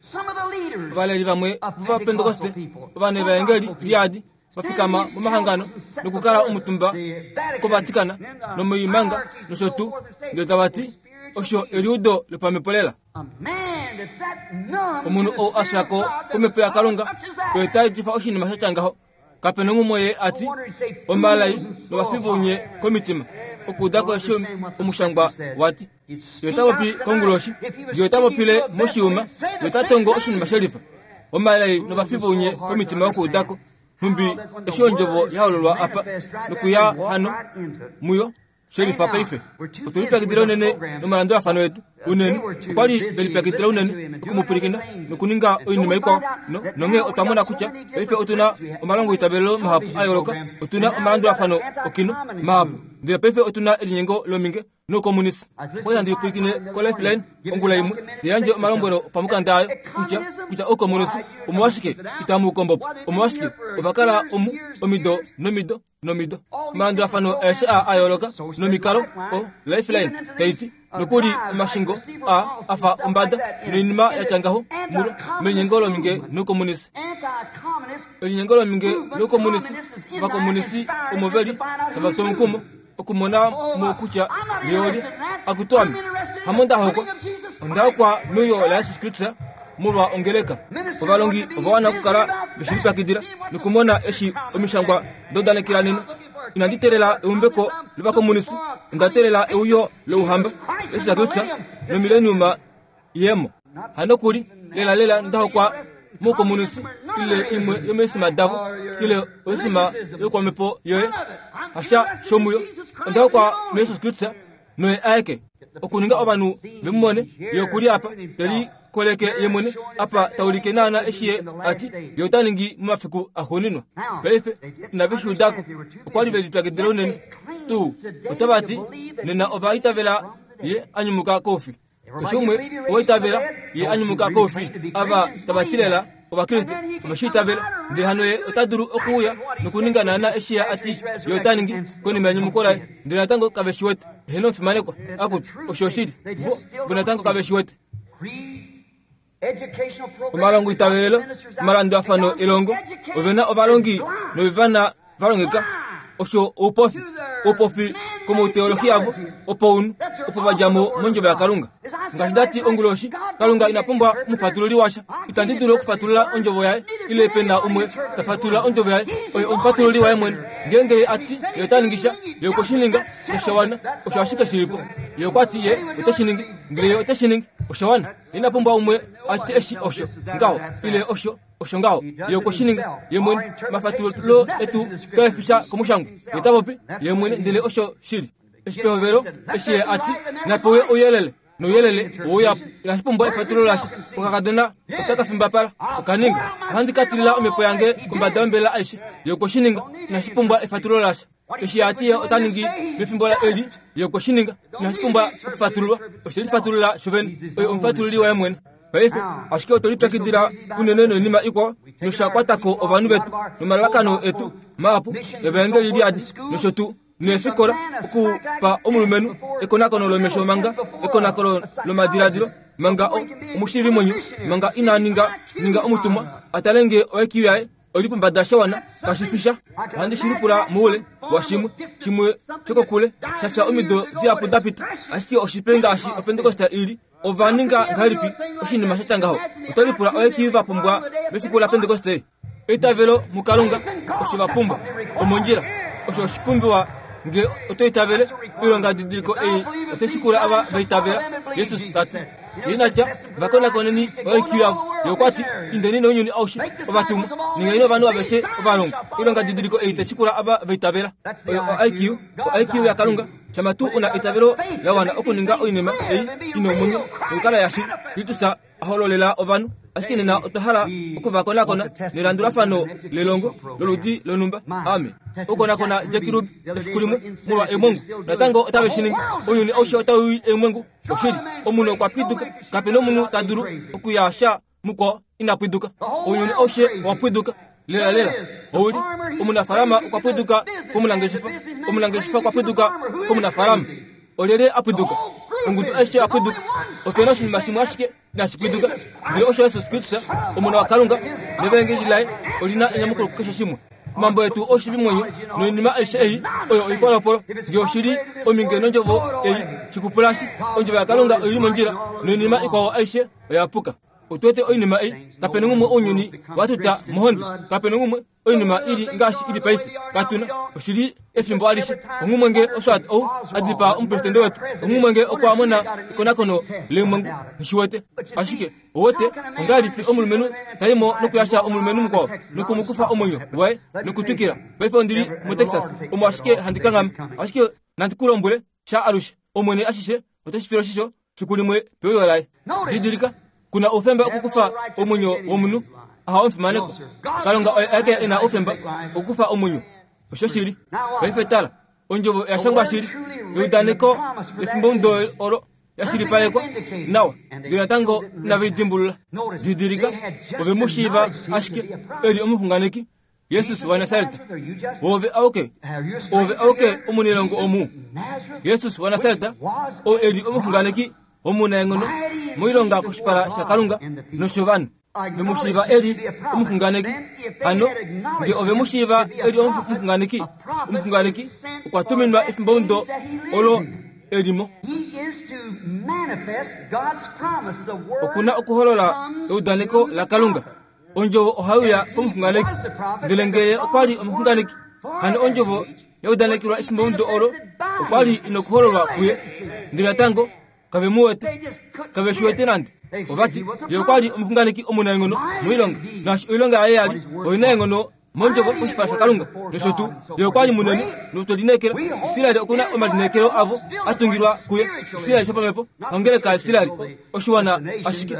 Ovaleli vamwe vOvapentekoste, ovanevaengeli liyadi, va fikama momahangano nokukala omutumba koVatikan nomoimanga nosho tuu, ndele tava ti, Osho eliudo lopamhepo lela. Omunhu ou a fya ko komhepo yaKalunga oye ta etifa oshinima sha tya ngaho. Kape nonghumwe ye a ti, Omalai novafi vounye komitima, okuuda ko eshi omushangwa wa ti. Ye ota popi konguloshi, ye ota popile moshiuma, ye ota tongo oshinima shelifa. Omalai novafi vounye komitima okuuda ko, nhumbi eshi ondjovo ya hololwa apa nokuya hano muyo shelifa paife. Otwe lipyakidila unene nomalandulafano etu unene. Okwa li ve lipyakidila unene oku mu pwilikina nokuninga oinima ikwao. No, nonghee otwa mona kutya paife otu na omalongoitavelelo mahapu a yooloka, otu na omalandulafano okino mahapu. Ndele paife otu na elinyengo lominge noukomunisi. Okwali handi pwilikine koLifeline ongula imwe, te yandje omalombwelo pamukanda ayo kutya, kutya oukomunisi omolwashike itamu u kombo po. Omolwashike ova kala omu omido nomido nomido. Omalandulafano aeshe aa a yooloka nomikalo, o Lifeline tai ti, nokuli omashingo a a fa ombada noinima ya tya ngaho mulo, melinyengo lominge noukomunisi. Elinyengo lominge loukomunisi, ovakomunisi omo ve li tava tu omukumo okumona mo kutya ye Akutu ame, hamo nda hokwa, onda hokwa meuyo laJesus Kristus molwa ongeleka. Ovalongi ova wana okukala ve shi lipyakidila nokumona eshi omishangwa da udanekela nena. Inandi teelela eumbeko lovakomunisi, onda teelela euyo louhamba, Jesus Kristus nomileniuma yemo. Hanokuli, lelalela nda hokwa moukomunisi ile imwe yomoisima davo ile oisima yokwamhepo yoye, hasha shomuyo. Onda hokwa muJesus Kristus noye aeke. Okuninga ovanhu ve mu mone, ye oku li apa, te likoleke ye mwene, apa ta ulike naana eshi ye a ti ye ota ningi momafiku axuuninwa. Paife, inave shi uda ko. Okwa li ve lipyakidila unene tuu. Otava ti, Nena ova itavela ye a nyumuka koufi. Keshe umwe owa itavela ye a nyumuka koufi. Ava tava ti lela Ovakriste ove shi itavela. Ndele hano ye ota dulu okuuya nokuninga naana eshi ye a ti ye ota ningi konima yenyumuko laye. Ndele natango kave shi wete. Eheno omufimanekwa. Akutu, osho oshili. Vo, vo natango kave shi wete. Omalongoitavelelo, omalandulafano elongo, ove na ovalongi novivana va longeka osho oupofi, oupofi komouteolohi avo opounhu, opo va dja mo mondjovo yaKalunga. Ngaashi nda ti onguloshi, Kalunga ina pumbwa omufatululi washa. Itandi dulu okufatulula ondjovo yaye, ile pe na umwe ta fatulula ondjovo yaye. Oye omufatululi waye mwene. Ngeenge ye a ti ye ota ningi sha, ye okwe shi ninga, nosha wana. Osho ashike shi li po. Ye okwa ti ye ote shi ningi, ndele ye ote shi ningi. Osha wana. Ina pumbwa umwe a tye eshi osho ngaho, ile osho osho ngaho. Ye okwe shi ninga ye mwene. Omafatululo etu kae fi sha komushangwa. Ye ta popi ye mwene, ndele osho shili. Eshi pehovelo, eshi ye a ti, Napewe ouyelele, nouyelele oweuya po. Inashi pumbwa efatululo lasha. Okakadona otaka fimbapala. Oka ninga. Ohandi ka tilila omhepo yange kombada yombelela aishe. Ye okwe shi ninga. Inashi pumbwa efatululo lasha. Eshi a ti ye ota ningi mefimbo eli, ye okwe shi ninga. Inashi pumbwa okufatululwa. Oshe lifatulula shovene. Oye omufatululi waye mwene. Paife, ashike otwe lipyakidila unene noinima ikwao, nosha kwata ko ovanhu vetu nomalalakano etu mahapu evaengeli liyadi nosho tuu, neefikola, okupa omulumenhu ekonakono lomesho manga ekonakono lomadiladilo manga omushiivimwenyo manga ina ninga ninga omutumwa a tale nge oIQ yaye oli pombada sha wana kashi fi sha. Ohandi shi lipula moule washimwe shimwe shokokule sha fya omido dihapu da pita, ashike oshipe ngaashi Opentekoste i li. Ova ninga ngahelipi oshinima sha tya ngaho? Oto lipula oeki va pumbwa mefiku laPentekoste? Eitavelo muKalunga osho va pumbwa. Omondjila. Osho oshipumbiwa nge oto itavele. Oilongadidiliko ei otai shikula ava va itavela, Jesus ta ti. Ye ina tya, Va konakoneni oiq yavo. Ye okwa ti, Indeni nounyuni aushe, ovatumwa, ningeni ovanhu aveshe ovalongwa. Oilongadidiliko ei tai shikula ava va itavela. Oyo oIQ, oIQ yaKalunga. Shama tuu u na eitavelo la wana okuninga oinima ei i na omwenyo nokukala yashili, Kristus a hololela ovanhu. Ashike nena otwa hala oku va konakona nelandulafano lelongo loludi lonhumba. Ame okukonakona Jack Ruby efiku limwe molwa eemwengu. Natango otave shi ningi. Ounyuni aushe otau i eemwengu. Oshili, omunhu okwa pwiduka. Kape nomunhu ta dulu okuya sha mukwao ina pwiduka. Ounyuni aushe owa pwiduka. Lela lela, ou li omunafaalama okwa pwiduka komunangeshefa, omunangeshefa okwa pwiduka komunafaalama. Olyelye a pwiduka? Ongudu aishe ya pwiduka. Ope na oshinima shimwe ashike inashi pwiduka, ndele osho Jesus Kristus, Omona waKalunga, nevaengeli laye oli na enyamukulo kukeshe shimwe. Omambo etu oshivimwenyo noinima aishe ei oyo oipolopolo. Nge oshi li ominge nondjovo ei, shikupulashi, ondjovo yaKalunga oi li mondjila noinima ikwao aishe oya puka. Otu wete oinima ei, kape na ngumwe ounyuni wa tuta mohonde, kape na ngumwe oinima i li ngaashi i li paife. Katu na oshi li efimbo alishe. Onghumwe nge oswat ou a dipaa omupresidente wetu, onghumwe nge okwa mona ekonakono leemwengu, nghi shi wete. Ashike, owete, ongahelipi omulumenhu ta i mo nokuyasha omulumenhu mukwao noku mu kufa omwenyo waye nokutwikila? Paife ondi li moTexas, omo ashike handi kanghama. Ashike nandi ku lombwele sha alushe, Omwene ashishe ote shi file oshisho fiku limwe peuyo laye. Didilika, ku na oufemba okukufa omwenyo womunhu. Aha omufimanekwa. Kalunga oye aeke e na oufemba okukufa omwenyo. Oshoshili. Paife tala. Ondjovo oya shangwa shili, eudaneko lefimbomudo olo ya shilipalekwa nawa, ndele natango inave i dimbulula. Didilika, ove mu shiiva ashike e li omuxunganeki, Jesus waNasaret. Ove auke, ove auke omunailongo omu. Jesus waNasaret, oo e li omuxunganeki omunaenghono moilonga koshipala shaKalunga noshovanhu. Ve mu shiiva e li omuxunganeki. Hano, nge ove mu shiiva e li omuxunganeki, omuxunganeki okwa tuminwa efimbomudo olo e li mo. Oku na okuholola eudaneko laKalunga. Ondjovo ohai uya komuxunganeki. Ndele nge ye okwa li omuxunganeki, hano ondjovo ya udanekelwa efimbomudo olo okwa li i nokuhololwa kuye. Ndele natango kave mu wete, kave shi wete nande. Ova ti, Ye okwa li omuxunganeki omunaenghono moilonga, naashi oilonga yaye ya li oinaenghono mondjovo koshipala shaKalunga nosho tuu. Ye okwa li munene notwe lineekela. Israel oku na omalineekelo avo a tungilwa kuye. Israel shopamhepo, ongeleka yaIsrael, oshiwana ashike,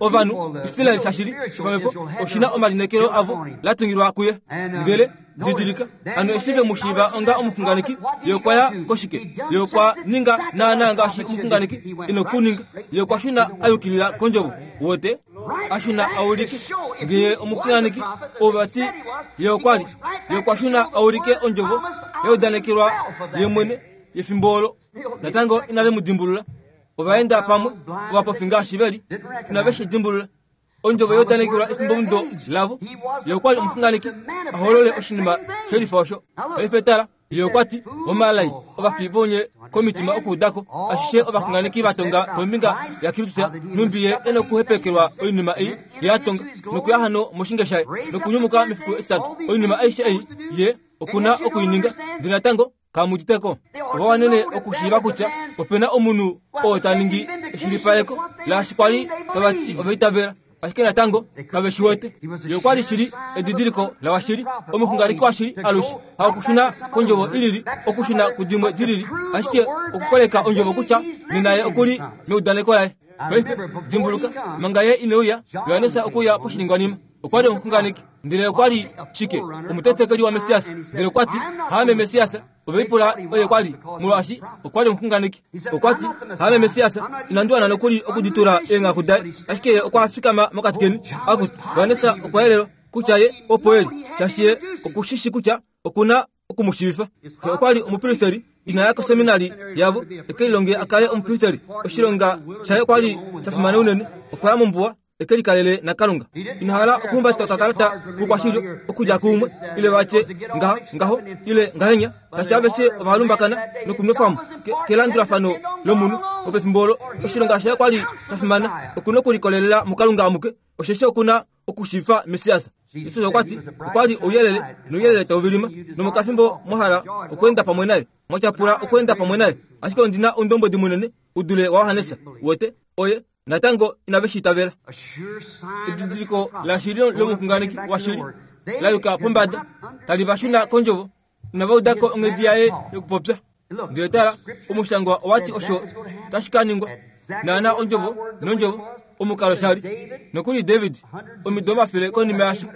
ovanhu, Israel shashili shopamhepo oshi na omalineekelo avo la tungilwa kuye. Ndele Didilika, hano eshi ve mu shiiva onga omuxunganeki, ye okwa ya koshike? Ye okwa ninga naanaa ngaashi omuxunganeki e nokuninga. Ye okwa shuna a yukilila kondjovo. Wote? A shuna a ulike nge ye omuxunganeki, ova ti ye okwa li. Ye okwa shuna a ulike ondjovo ya udanekelwa ye mwene yefimbo olo. Natango inave mu dimbulula. Ova enda pamwe, ovapofi ngaashi ve li, inave shi dimbulula. Ondjovo yaudanekelwa efimbomudo lavo. Ye okwa li omuxunganeki a holole oshinima shelifa osho. Paife tala, ye okwa ti, Omalai, ovafi vonye komitima okuuda ko ashishe ovaxunganeki va tonga kombinga yaKristus, nhumbi ye e nokuhepekelwa oinima ei ye a tonga, nokuya hano moshinge shaye, nokunyumuka mefiku etitatu. Oinima aishe ei ye oku na oku i ninga. Ndele natango Kamu udite ko? Ova wanene okushiiva kutya ope na omunhu oo ta ningi eshilipaleko laashi kwa li tava ti ova itavela, ashike natango kave shi wete. Ye okwa li shili edidiliko lawashili, omuxunganeki washili alushe, hakushuna kondjovo i lili, okushuna kudimwe di lili, ashike okukoleka ondjovo kutya nena ye oku li meudaneko laye. Paife, dimbuluka, manga ye ine uya, Johannes okwe uya poshiningwanima. Okwa li omuxunganeki, ndele okwa li shike? Omutetekeli waMessias. Ndele okwa ti, Haame Messias. Ove lipula oye kwa li, molwaashi okwa li omuxunganeki. Okwa ti, Haame Messias, inandi wana nokuli okuditula eenghaku daye. Ashike ye okwa fikama mokati keni. Akutu, Johannes okwa yelelwa kutya ye opo e li, shaashi ye oku shi shi kutya oku na oku mu shiivifa. Xe okwa li omupristeri, ina ya koseminari yavo e ke lilonge a kale omupristeri. Oshilonga shaye okwa li sha fimana unene. Okwa ya mombuwa e ke likalele naKalunga. Ina hala okuhumbata okakalata koukwashilyo okudja kuumwe, ile va tye ngaha, ngaho, ile ngahenya, shaashi aveshe ova lumbakana nokunwefwa mo kelandulafano lomunhu wopefimbo olo. Oshilonga shaye okwa li sha fimana, oku na okulikolelela muKalunga amuke, osheshi oku na okushiifa Messias. Jesus okwa ti, Okwa li ouyelele, nouyelele tau vilima, nomokafimbo mwa hala okweenda pamwe naye, mwa tyapula okweenda pamwe naye. Ashike ondi na oundombwedi munene u dule waJohannes. Uwete? Oye natango inave shi itavela. Edidiliko lashili lomuxunganeki washili la yuka pombada, tali va shuna kondjovo. Inava uda ko onghedi yaye yokupopya. Ndele tala, omushangwa owa ti osho tashi ka ningwa. Naana ondjovo nondjovo, omukalo sha li. Nokuli David, omido omafele konima yasho,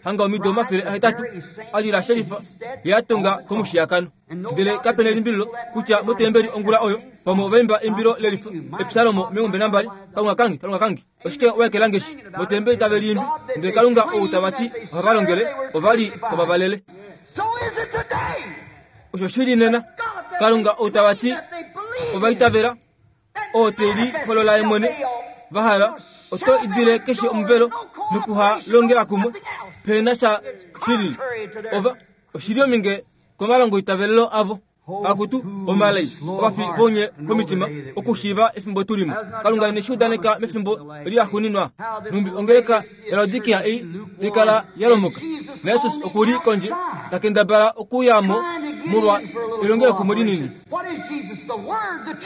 hanga omido 800, a lila shelifa ye a tonga komushiyakano. Ndele kape na elimbililo kutya motembeli ongula oyo, pamwe ova imba eimbilo lelifa, Epsalomo 12, Kalunga kange, Kalunga kange, oshike wa ekela nge shi? Motembeli tave liimbi, ndele Kalunga ou tava ti ohava longele, ova li tava valele. Osho shi li nena, Kalunga ou tava ti ova itavela, oo te li holola ye mwene, va hala, oto idile keshe omuvelo nokuha longela kumwe, pe na sha shi lili. Ova, oshi li ominge komalongoitavelelo avo. Akutu, omalai, ovafi vounye komitima, okushiiva efimbo tu li mo. Kalunga ine shi udaneka mefimbo eli laxuuninwa, nhumbi ongeleka yaLaodikia ei tai kala ya lomoka. NaJesus oku li kondje, ta kendabala okuuya mo molwa elongelokumwe linini.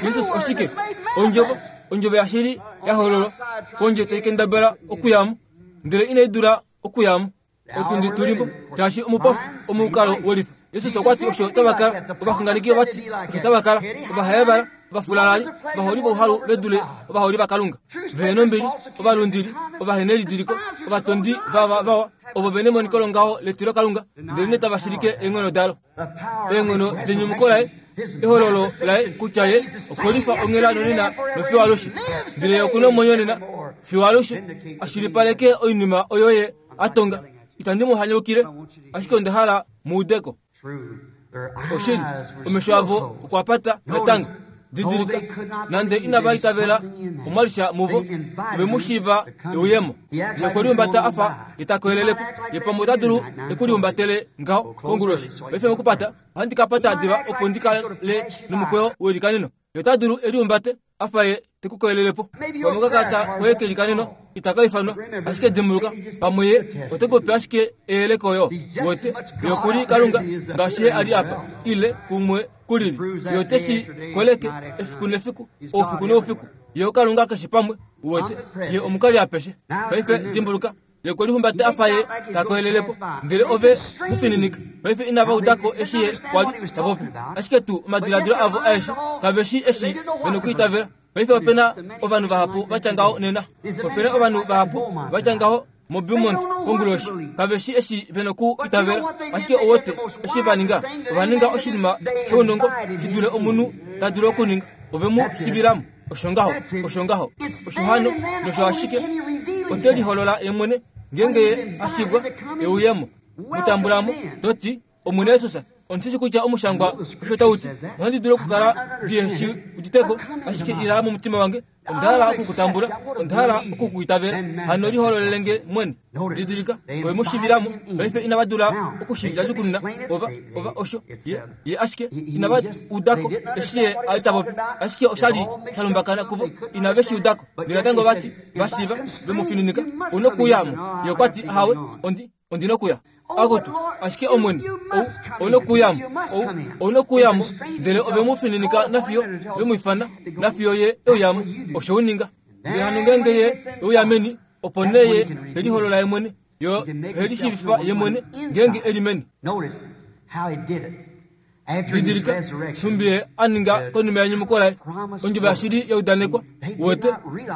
Jesus oshike? Ondjovo, Ondjovo yashili ya hololwa kondje tai kendabala okuya mo, ndele inai dula okuya mo. Otundi tu li mo, shaashi omupofi omukalo welifa. Jesus okwa ti osho tava kala, ovaxunganeki ova ti osho tava kala, ovahayavala. Ovafulalali, ovaholi vouhalu ve dule ovaholi vaKalunga, vehe nombili, ovalundili, ovahenelidiliko, ovatondi vava vawa, ovo ve nemoniko longaho letilokalunga, ndelenee tava shilike eenghono dalo. Eenghono denyumuko laye, ehololo laye kutya ye okwe lifa onghela nonena nofiyo alushe, ndele ye oku na omwenyo nena fiyo alushe, a shilipaleke oinima oyo ye a tonga. Itandi mu hanyaukile, ashike onda hala mu ude ko. Oshili, omesho avo okwa pata natango. Didilika, nande inava itavela omwa li sha muvo, ove mu shiiva euyemo. Ye okwe lihumbata a fa ye ta koyelele po. Ye pamwe ota dulu e ku lihumbatele ngaho konguloshi. Paife mokupata, ohandi ka pata diva opo ndi kale nomukweyo welikaneno. Ye ota dulu e lihumbate a fa ye te ku koyelele po. Pamwe okakalata koye kelikaneno itaka ifanwa, ashike dimbuluka, pamwe ye ote ku pe ashike eyeleko oyo. Wete, ye oku li Kalunga ngaashi ye a li apa, ile kumwe ku lili. Ye ote shi koleke efiku nefiku, oufiku noufiku. Ye oKalunga keshe pamwe, uwete, ye omukali apeshe. Paife dimbuluka, Ye okwe lihumbata a fa ye ta koyelele po, ndele ove mu fininika. Paife inava uda ko eshi ye kwa li ta popi, ashike tuu omadiladilo avo aeshe kave shii eshi ve nokwiitavela. Paife ope na ovanhu vahapu va tya ngaho nena. Ope na ovanhu vahapu va tya ngaho moBeaumont konguloshi. Kave shii eshi ve noku itavela. Ashike ou wete eshi va ninga? Ova ninga oshinima shounongo shi dule omunhu ta dulu okuninga. Ove mu shivila mo. Osho ngaho, osho ngaho, osho hano, nosho ashike. Ote liholola ye mwene, ngeenge ye a shivwa, e uye mo. Mu tambula mo, to ti, Omwene Jesus, ondi shi kutya omushangwa osho tau ti. Ohandi dulu okukala ndihe shi udite ko, ashike ila momutima wange. Onda hala oku ku tambula. Onda hala oku ku itavela. Hano lihololele nge mwene. Didilika, ove mu shivila mo. Paife inava dula oku shi ndjadjukununa. Ova, ova osho. Ye, ye ashike inava uda ko eshi ye a li ta popi. Ashike osha li sha lumbakana kuvo. Inave shi uda ko. Ndele natango va ti, va shiiva, ve mu fininika, U nokuuya mo. Ye okwa ti, Ahawe, ondi, ondi nokuya. Akutu, ashike Omwene, ou, ou nokuya mo, ou, ou nokuya mo. Ndele ove mu fininika nafiyo ve mu ifana, nafiyo ye e uya mo. Osho u ninga. Ndele hano ngeenge ye e uya meni, opo nee ye te liholola ye mwene, yo he lishiivifa ye mwene ngeenge e li meni. Didilika, nhumbi ye a ninga konima yenyumuko laye, ondjovo yashili ya udanekwa. Uwete,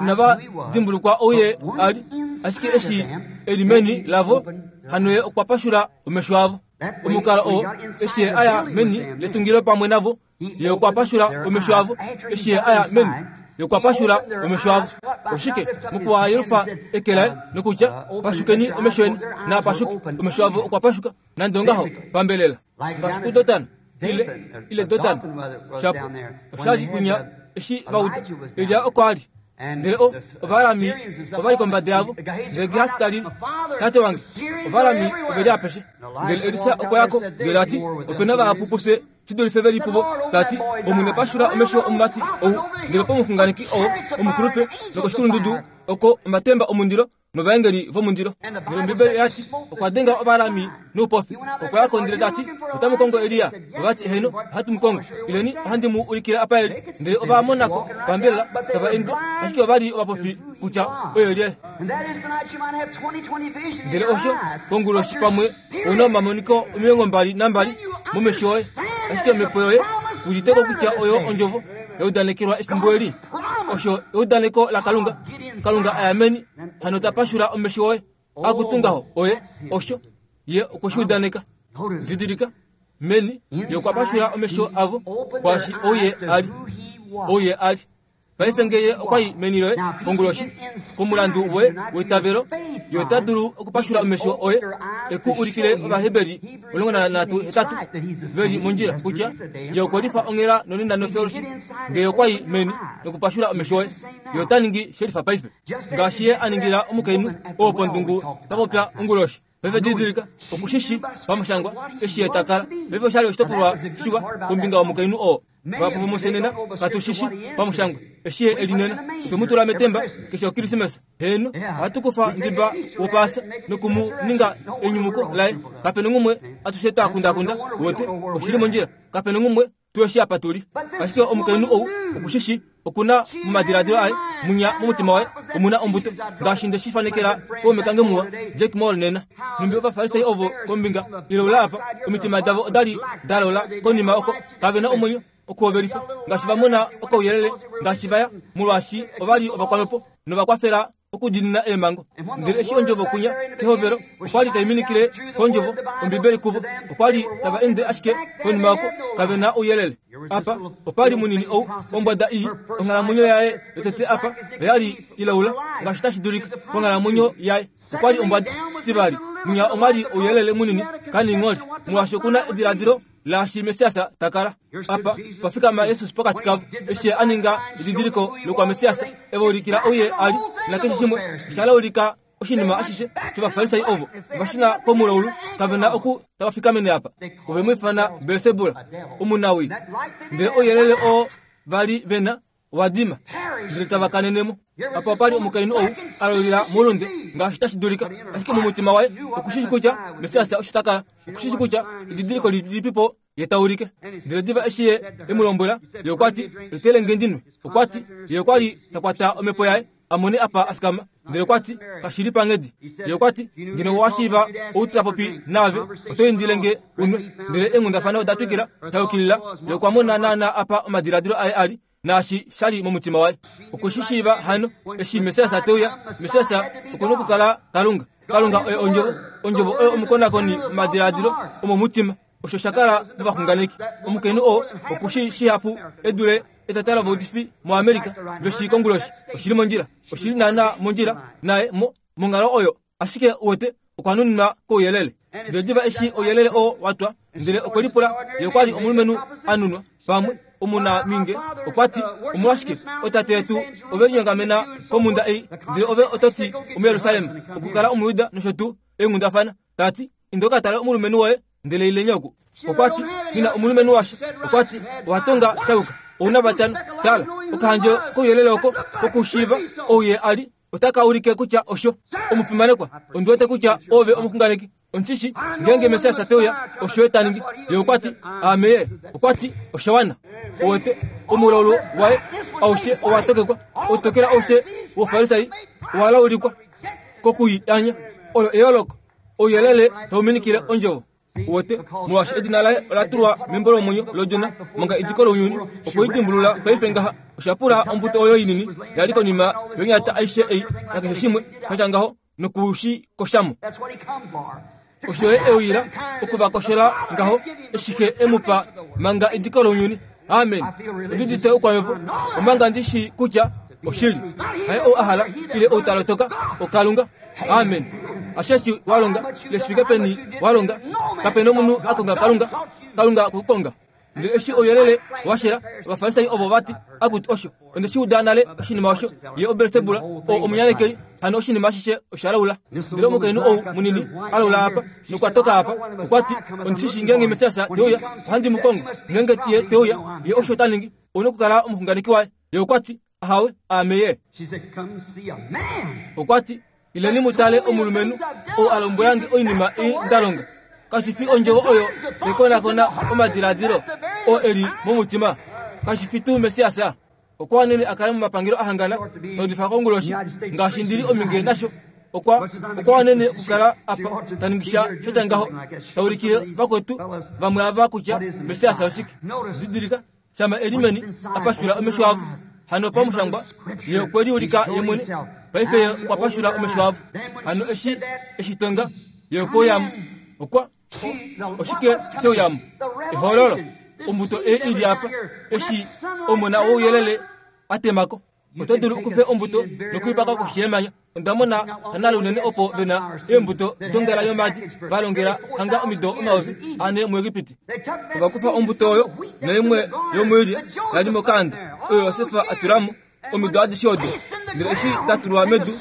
inava dimbulukwa ou ye a li, ashike eshi e li meni lavo, hano ye okwa pashula omesho avo. Omukalo oo, eshi ye a ya meni letungilo pamwe navo, Ye okwa pashula omesho avo eshi ye a ya meni. Ye okwa pashula omesho avo. Oshike? Mokuwayelufa eke laye nokutya, Pashukeni omesho eni, naa pashuke. Omesho avo okwa pashuka, nande ongaho, pambelela. Ngaashi kuDotan, ile, ile Dotan, shapo, osha li kwinya eshi va uda, Elia oko a li. Ndele o, Ovaarami ova li kombada yavo. Ndele Gehasi ta lili, Tate wange, Ovaarami ove li apeshe. Ndele Elisa okwa ya ko, ndele a ti, Ope na vahapu pufye shi dulife ve li puvo, ta ti, Omwene pashula omesho omumati ou, ndele pomuxunganeki oo omukulupe nokoshikulundudu oko omatemba omundilo novaengeli vomundilo. Ndele Ombibeli oya ti, Okwa denga Ovaarami noupofi. Okwa ya ko ndele ta ti, Otamu kongo Elia? Ova ti, Heeno, ohatu mu kongo. Ileni, ohandi mu ulikile apa e li. Ndele ova mona ko pambelela tava ende, ashike ova li ovapofi kutya oye lyelye. Ndele osho konguloshi pamwe ou na omamoniko 22 momesho oye, ashike omhepo yoye udite ko kutya oyo ondjovo ya udanekelwa efimbo eli. Osho eudaneko laKalunga. Kalunga a ya meni, hano ta pashula omesho oye. Akutu ngaho, oye osho ye okwe shi udaneka. Didilika, meni ye okwa pashula omesho avo kwaashi ou ye a li, ou ye a li. Paife nge ye okwa i meni loye konguloshi, komulandu woye weitavelo, ye ota dulu okupashula omesho oye e ku ulikile Ovaheberi 13:8 ve li mondjila kutya ye okwe lifa onghela nonena nofyolushi. Nge ye okwa i meni nokupashula omesho oye, ye ota ningi shelifa paife, ngaashi ye a ningila omukainhu oo pondungu twa popya onguloshi. Paife didilika, oku shi shi pamushangwa eshi ye ta kala. Paife osha li oshitopolwa shiwa kombinga yomukainhu oo. Vahapu vomufye nena katu shi shi pamushangwa eshi ye e li nena. Otwe mu tula metemba keshe Okrismesa. Heeno, ohatu kufa ndiba wOpaasa noku mu ninga enyumuko laye. Kape nongumwe atushe twa kundakunda, wote, oshi li mondjila. Kape nongumwe tu eshi apa tu li. Ashike omukainhu ou oku shi shi, oku na momadiladilo aye, munya momutima waye, omu na ombuto. Ngaashi nde shi fanekela kaume kange muwa, Jack Moore nena. Nhumbi Ovafarisai ovo kombinga iloula apa, omitima davo oda li da lola konima oko. Kave na omwenyo. okuhovelifa ngaashi va mona okauyelele ngaashi va ya molwaashi ova li ovakwamhepo nova kwafela okudiinina eemhango. Ndele eshi ondjovo kunya kehovelo okwa li tai minikile kondjovo Ombibeli kuvo, okwa li tava ende ashike konima oko, kave na ouyelele. Apa opa li munini ou, ombwada ii, onghalamwenyo yaye yotete apa oya li ilaula ngaashi tashi dulika konghalamwenyo yaye. Okwa li ombwada. Shitivali, munya omwa li ouyelele munini kaningholi, molwaashi oku na ediladilo laashi Messias ta kala. Apa pa fikama Jesus pokati kavo, eshi a ninga edidiliko lokwaMessias, e va ulikila ouye a li, nakeshe shimwe osha laulika oshinima ashishe shOvafarisai ovo va shuna komulaulu. Kave na oku tava fikamene apa. Ove mu ifana Belsebul, omunawii. Ndele ouyelele oo va li ve na owa dima, ndele tava kanene mo. Apa opa li omukainhu ou a lolila moulunde ngaashi tashi dulika, ashike momutima waye oku shii kutya Messias osho ta kala, oku shii kutya edidiliko lilipipo ye ta ulike. Ndele diva eshi ye e mu lombwela, ye okwa ti, Etele nge ndi nwe. Okwa ti, Ye okwa li ta kwata omhepo yaye, a mone apa a fikama. Ndele okwa ti, Kashi li panghedi. Ye okwa ti, Ngeno owa shiiva ou ta popi naave, oto indile nge u nwe. Ndele eenghundafana oda twikila, da yukilila. Ye okwa mona naanaa apa omadiladilo aye a li, naashi sha li momutima waye. Okwe shi shiiva hano, eshi Messias te uya, Messias oku nokukala Kalunga. Kalunga oye Ondjovo. Ondjovo oyo omukonakoni womadiladilo omomutima. Osho sha kala movaxunganeki. Omukainhu oo oku shii shihapu e dule etata lovaudifi moAmerica ve shii konguloshi. Oshi li mondjila. Oshi li naanaa mondjila naye mo, monghalo oyo. Ashike, uwete, okwa nuninwa kouyelele. Ndele diva eshi ouyelele oo wa twa, ndele okwe lipula, ye okwa li omulumenhu a nunwa, pamwe, omunaminge. Okwa ti, Omolwashike, ootate yetu ove linyongamena komhunda ei, ndele ove oto ti omuJerusalem, okukala Omuyuda nosho tuu, eenghundafana. Ta ti, Inda u ka tale omulumenhu woye, ndele ileni oku. Okwa ti, Nghi na omulumenhu washa. Okwa ti, Owa tonga sha yuka. Ou na vatano. Tala, okahandje kouyelele oko kokushiiva ou ye a li, otaka ulike kutya osho. Omufimanekwa, ondi wete kutya oove omuxunganeki. Ondi shi shii, ngeenge Messias te uya, osho ye ta ningi. Ye okwa ti, Aame ye. Okwa ti, Osha wana. Uwete, omulaulu waye aushe owa tokekwa, outokela aushe wOufarisai owa laulikwa kokulianya. Olo eyooloko. Ouyelele tau minikile ondjovo. Uwete, molwaashi edina laye ola tulwa membo lomwenyo lOdjona manga ediko lounyuni, okwe i dimbulula paife ngaha. Osha pula ombuto oyo inini ya li konima yonyata aishe ei nakeshe shimwe sha tya ngaho noku shi kosha mo. Osho ye e uyila oku va koshola ngaho eshi Xe e mu pa manga ediko lounyuni. Amen. Ondi udite oukwamhepo omanga ndi shii kutya oshili. Haye ou a hala ile ou ta lotoka, oKalunga. Amen. Asheshi wa longa, ile shi fike peni wa longa, kape nomunhu a konga Kalunga, Kalunga okwe ku konga. Ndele eshi ouyelele wa shela, Ovafarisai ovo va ti, Akutu, osho, onde shi uda nale oshinima osho, ye oBelsebul, oo omunyanekeli, hano oshinima ashishe osha laula. Ndele omukainhu ou munini a laula apa, nokwa toka apa, okwa ti, Ondi shi shii ngeenge Messias te uya, ohandi mu kongo. Ngeenge ye te uya, ye osho ta ningi, ou nokukala omuxunganeki waye. Ye okwa ti, Ahawe, aame ye. Okwa ti, Ileni mu tale omulumenhu ou a lombwela nge oinima ei nda longa. Kashi fi ondjovo oyo yekonakona omadiladilo oo e li momutima? Kashi fi tuu Messias? Okwa wanene a kale momapangelo a hangana taudifa konguloshi ngaashi ndi li ominge nasho. Okwa okwa wanene okukala apa ta ningi sha sha tya ngaho, ta ulikile vakwetu vamwe ava kutya Messias oshike. Didilika, Shama e li meni, a pashula omesho avo. Hano pamushangwa, ye okwe liulika ye mwene. Paife ye okwa pashula omesho avo. Hano eshi e shi tonga, ye okwe uya mo. Okwa, oshike she uya mo? Ehololo. Ombuto ei i li apa, eshi omona wouyelele a tema ko. Oto dulu okufe ombuto nokuipaka koshi yemanya. Onda mona hanale unene opo ve na eembuto dongala yomaadi va longela hanga omido 4000 muEgipiti. Ova kufa ombuto oyo naimwe yomuilya ya li mokaanda oyo Josef a tula mo omido adishe odo. Ndele eshi da tulwa medu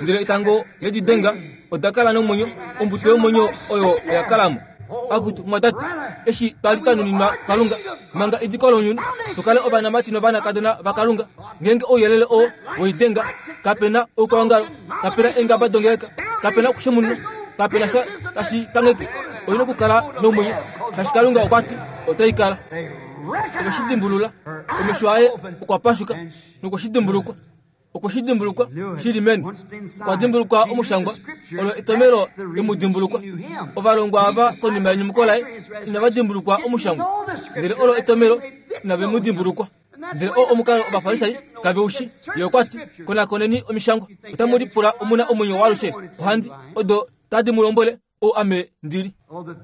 ndele etango le di denga, oda kala nomwenyo, ombuto yomwenyo oyo oya kala mo. Akutu, mumwatate, eshi twa li twa nuninwa Kalunga manga ediko lounyuni, tu kale ovanamati novanakadona vaKalunga, ngeenge ouyelele oo weidenga, kape na oukwaongalo, kape na eengaba dongeleka, kape na okushemununa, kape na sha tashi kangheke, oi na okukala nomwenyo, shaashi Kalunga okwa ti otai kala. Ove shi dimbulula, omesho aye okwa pashuka nokwe shi dimbulukwa. Okwe shi dimbulukwa shi li meni. Okwa dimbulukwa omushangwa, olo etomelo e mu dimbulukwa. Ovalongwa ava konima yenyumuko laye inava dimbulukwa omushangwa, ndele olo etomelo inave mu dimbulukwa. Ndele oo omukalo Ovafarisai kave u shi. Ye okwa ti, Konakoneni omishangwa, otamu lipula omu na omwenyo waalushe. Ohandi odo tadi mu lombwele ou ame ndi li.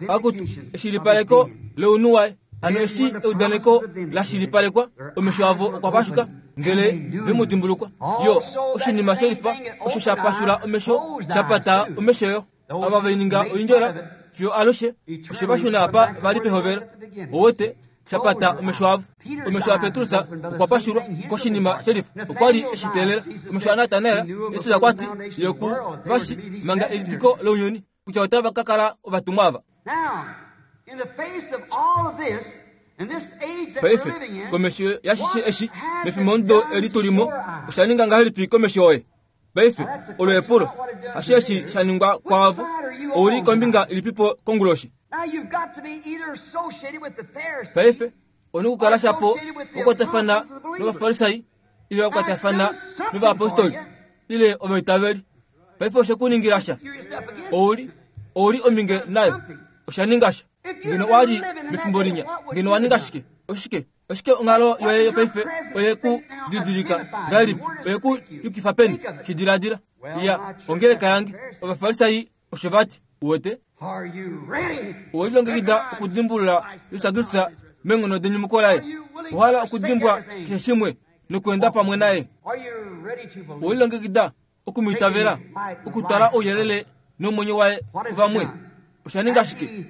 Akutu, eshilipaleko lounhu waye! Hano eshi eudaneko la shilipalekwa, omesho avo okwa pashuka, ndele ve mu dimbulukwa. Yo, oshinima shelifa osho sha pashula omesho, sha pata omesho yo. Ava ve ninga oindjola fiyo alushe, oshe va shuna apa va li pehovelo. Owete, sha pata omesho avo. Omesho aPetrus okwa pashulwa koshinima shelifa. Okwa li e shi teelela. Omesho aNatanael, Jesus okwa ti, Ye oku va shi manga ediko lounyuni, kutya otava ka kala ovatumwa ava. Paife, komesho yashishe eshi, mefimbomudo eli tu li mo, osha ninga ngahelipi komesho yoye? Paife, olo epulo. Hasheshi sha ningwa kwaavo. Ou li kombinga ilipipo konguloshi? Paife, ou na okukala shapo wa kwatafana nOvafarisai, ile wa kwatafana novayapostoli, ile ovaitaveli. Paife oshe ku ningila sha. Ou li, ou li ominge nayo. Osha ninga sha. Ngeno owa li mefimbo linya, ngeno owa ninga shike? Oshike? Oshike onghalo yoye yopaife oye ku didilika ngahelipi? Oye ku yukifa peni? Shi diladila. Ya, ongeleka yange. Ovafarisai osho va ti. Uwete? Owe lilongekida okudimbulula Jesus Kristus meenghono denyumuko laye? Owa hala okudimbwa keshe shimwe nokweenda pamwe naye? Owe lilongekida oku mu itavela, okutwala ouyelele nomwenyo waye kuvamwe? Osha ninga shike?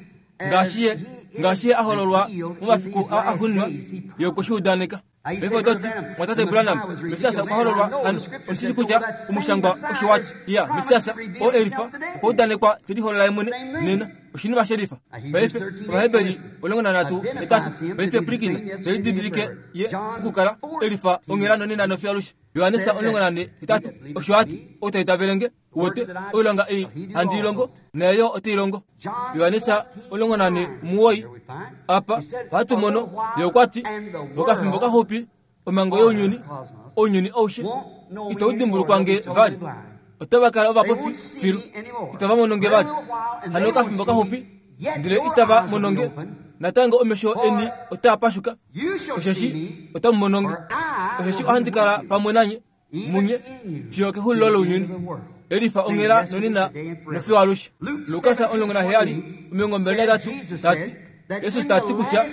Ngaashi ye, ngaashi ye a hololwa momafiku a axuuninwa, ye okwe shi udaneka. Paife oto ti, Mwatate Branham, Messias okwa hololwa hano. Ondi shi kutya omushangwa osho wa ti. Iya, Messias, oo e lifa, okwa udanekwa te liholola ye mwene nena. Oshinima she lifa. Paife, Ovaheberi 13, 8. Paife pwilikina, te lididilike ye okukala e lifa onghela nonena nofiyo alushe. Johannes 14, osho a ti, Ou ta itavele nge, uwete, oilonga ei handi i longo, naye yo ote i longo. Johannes 14, apa ohatu mono, ye okwa ti, Okafimbo kaxupi omhango younyuni, ounyuni aushe, itau dimbulukwa nge vali. Otava kala ovapofi filu, itava mono nge vali. Hano okafimbo kaxupi, ndele itava mono nge. Natango omesho eni otaa pashuka, osheshi otamu mono nge. Osheshi ohandi kala pamwe nanye, munye, fiyo okexulilo lounyuni. Elifa onghela nonena nofiyo alushe. Lukas 17, 23 ta ti, Jesus ta ti kutya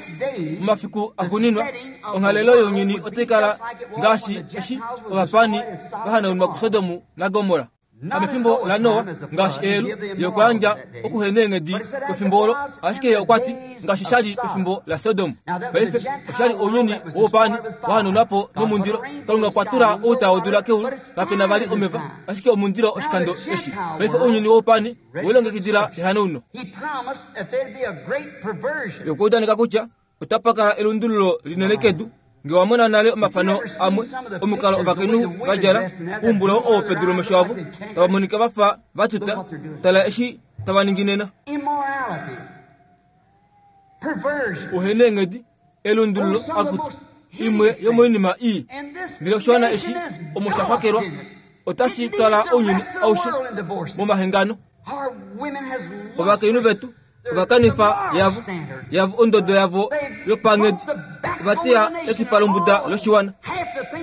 momafiku axuuninwa onghalelo younyuni otai kala ngaashi eshi ovapaani va hanaunwa kuSodom naGomorra. Hamefimbo laNoa, ngaashi eyelu, ye okwa yandja okuheneenghedi kwefimbo olo, ashike ye okwa ti, ngaashi sha li pefimbo laSodom. Paife, osha li ounyuni woupaani wa hanaunwa po nomundilo. Kalunga okwa tula outa wodula keulu, kape na vali omeva, ashike omundilo oshikando eshi. Paife ounyuni woupaani we lilongekidila ehanauno. Ye okwa udaneka kutya otapa kala elundululo linene kedu. Nge wa mona nale omafano amwe omukalo ovakainhu va djala oumbulau oo pedu lomesho avo, tava monika va fa va tuta, tala eshi tava ningi nena. Ouheneenghedi, elundululo, akutu, imwe yomoinima ii. Ndele oshiwana eshi omo sha xwakelwa otashi twala ounyuni aushe momahengano. Ovakainhu vetu ova kanifa yavo, yavo ondodo yavo yopanghedi. Ova teya ekipa lombuda loshiwana.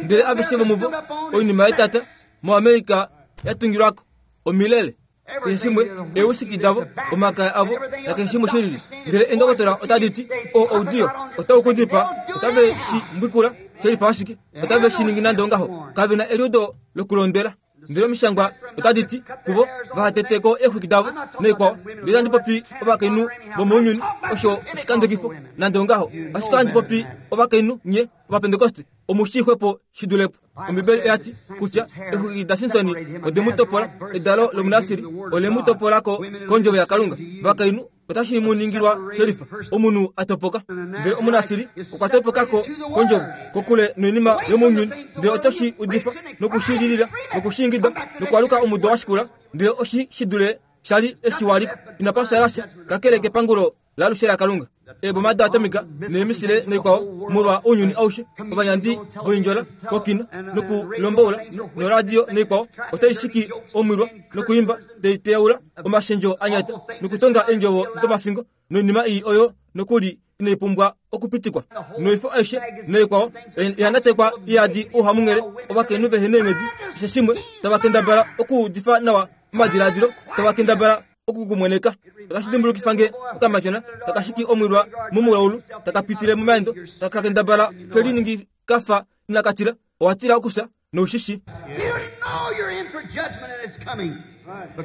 Ndele aveshe vomuvo, oinima yetata moAmerica ya tungilwako, omilele, keshe shimwe, eewisiki davo, omakaya avo, nakeshe shimwe shilili. Ndele eendokotola otadi ti, O oudiyo otau ku dipaa. Otave shi mbwikula, shelifa ashike. Otave shi ningi nande ongaho. Kave na eliudo lokulondwela. Ndele omishangwa otadi ti kuvo vaha tete ko eexwiki davo naikwao. Ndele itandi popi ovakainhu vomounyuni, osho oshikandekifo, nande ongaho. Ashike ohandi popi ovakainhu nye Ovapentekoste, omu shii xwepo shi dule po. Ombibeli oya ti kutya exwiki daSimson ode mu topola, edalo lOmunasiri ole mu topola ko kondjovo yaKalunga. Vakainhu otashi mu ningilwa shelifa, omunhu a topoka. Ndele Omunasiri okwa topoka ko kondjovo, kokule noinima yomounyuni. Ndele oto shi udifa noku shi lilila noku shi ingida nokwaluka omudo wa shikula, ndele oshi shi dule sha li eshi wa li ko. Inapa fyaala sha kakele kepangulo laalushe laKalunga. Eeboma doatomika neemisile noikwao molwa ounyuni aushe, ovanyandi voindjola kokino nokulomboula noradio noikwao otai shiki omwilwa nokuimba tai teyaula omashendjo a nyata nokutonga eendjovo domafingo noinima ii oyo nokuli inai pumbwa okupitikwa. Noifo aishe noikwao oya natekwa iyadi ouhamunghele, ovakainhu vehe neenghedi, keshe shimwe, tava kendabala okuudifa nawa omadiladilo, tava kendabala oku ku mweneka. Otashi dimbulukifa nge okamatyona taka shiki omwilwa momulaulu, taka pitile momaendo, taka kendabala ke liningi ka fa inaka tila. Owa tila okufya, nou shi shii.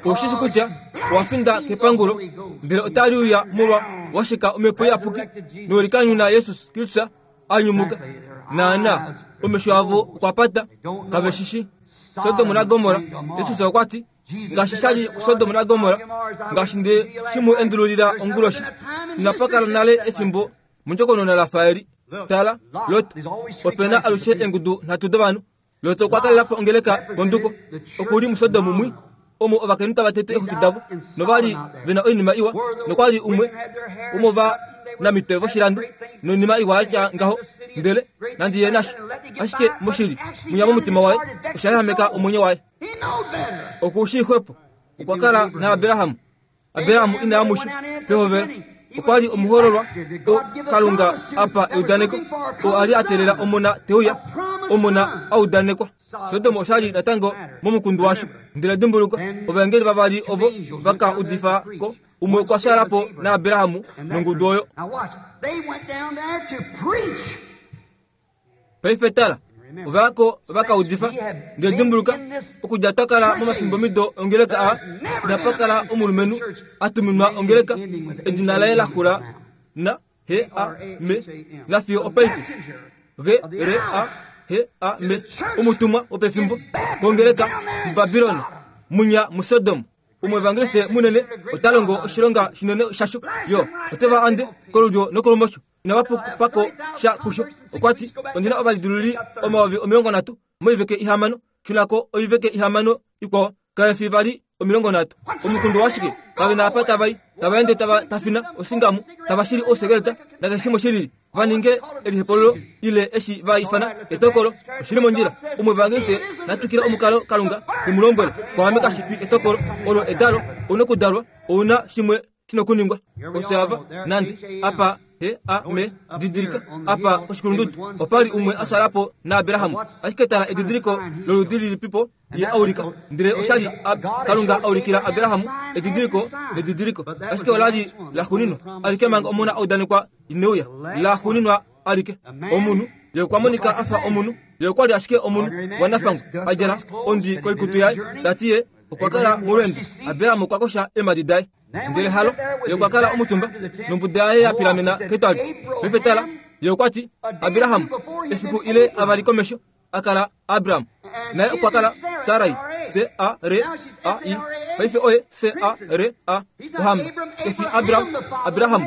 Ou shi shi kutya owa finda kepangulo, ndele otali uya molwa wa sheka Omhepo Iyapuki nowe likanyuna Jesus Kristus a nyumuka. Naana, omesho avo okwa pata, kave shi shii. Sodom naGomorra, Jesus okwa ti, Ngaashi sha li kuSodom naGomorra, ngaashi nde shi mu endululila onguloshi, inapa kala nale efimbo mondjokonona la fa eli. Tala, Lot, ope na alushe eengudu nhatu dovanhu. Lot okwa kalela po ongeleka konduko. Oku li muSodom mwi, omo ovakainhu tava tete eexwiki davo, nova li ve na oinima iwa, nokwa li umwe womovanamitwe voshilando, noinima iwa ya tya ngaho, ndele nandi ye nasho. Ashike moshili, mwinya momutima waye, osha yahameka omwenyo waye. Oku shii xwepo. Okwa kala naAbraham. Abraham ina ya musho pehovelo. Okwa li omuhoololwa o Kalunga a pa eudaneko, oo a li a teelela omona te uya, omona a udanekwa. Sodom osha li natango momukundu washo. Ndele dimbuluka, ovaengeli vavali ovo va ka udifa ko, umwe okwa fyaala po naAbraham nongudu oyo. Paife tala, ova ya ko va ka udifa. Ndele dimbuluka, okudja twa kala momafimbomido ongeleka aa, inapa kala omulumenhu a tuminwa ongeleka, edina laye la xula na H A M, nafiyo opaife. G R A H A M, omutumwa wopefimbo kongeleka muBabilon, munya muSodom. Omuevangeliste munene ota longo oshilonga shinene shasho, yo ote va ande kolulyo nokolumosho. Inava pupa ko sha kusho. Okwa ti, Ondi na ovalidiluli 30,000 moiveke ihamano. Shuna ko oiveke ihamano ikwao, kave fi vali 30. Omukundu washike? Kave na apa tava i. Tava ende tava tafina osingamu, tava shili ousekeleta, nakeshe shimwe shilili, va ninge elihepolulo, ile eshi va ifana etokolo. Oshi li mondjila. Omuevangeliste na twikile omukalo Kalunga te mu lombwele. Kwaame kashi fi etokolo, olo edalo. Ou na okudalwa. Ou na shimwe shinokuningwa osho nande apa he a me didilika apa koshikulundudu opa li umwe a fyaala po naAbraham. Ashike tala edidiliko loludi lilipipo ye a ulika. Ndele osha li Kalunga a ulikila Abraham edidiliko nedidiliko, ashike ola li la xuninwa alike manga omona a udanekwa ine uya. La xuninwa alike. Omunhu ye okwa monika a fa omunhu, ye okwa li ashike omunhu wanafangwa a djala ondwi koikutu yaye, ta ti ye okwa kala molweendo. Abraham okwa kosha eemhadi daye. Ndele halo, ye okwa kala omutumba, nombuda yaye ya pilamena ketwali. Paife tala, ye okwa ti, Abraham, efiku ile avali komesho, a kala Abram. Naye okwa kala Sarai, S-A-R-A-I. Paife oye S-A-R-A, ohamba. Ke fi Abram, Abraham,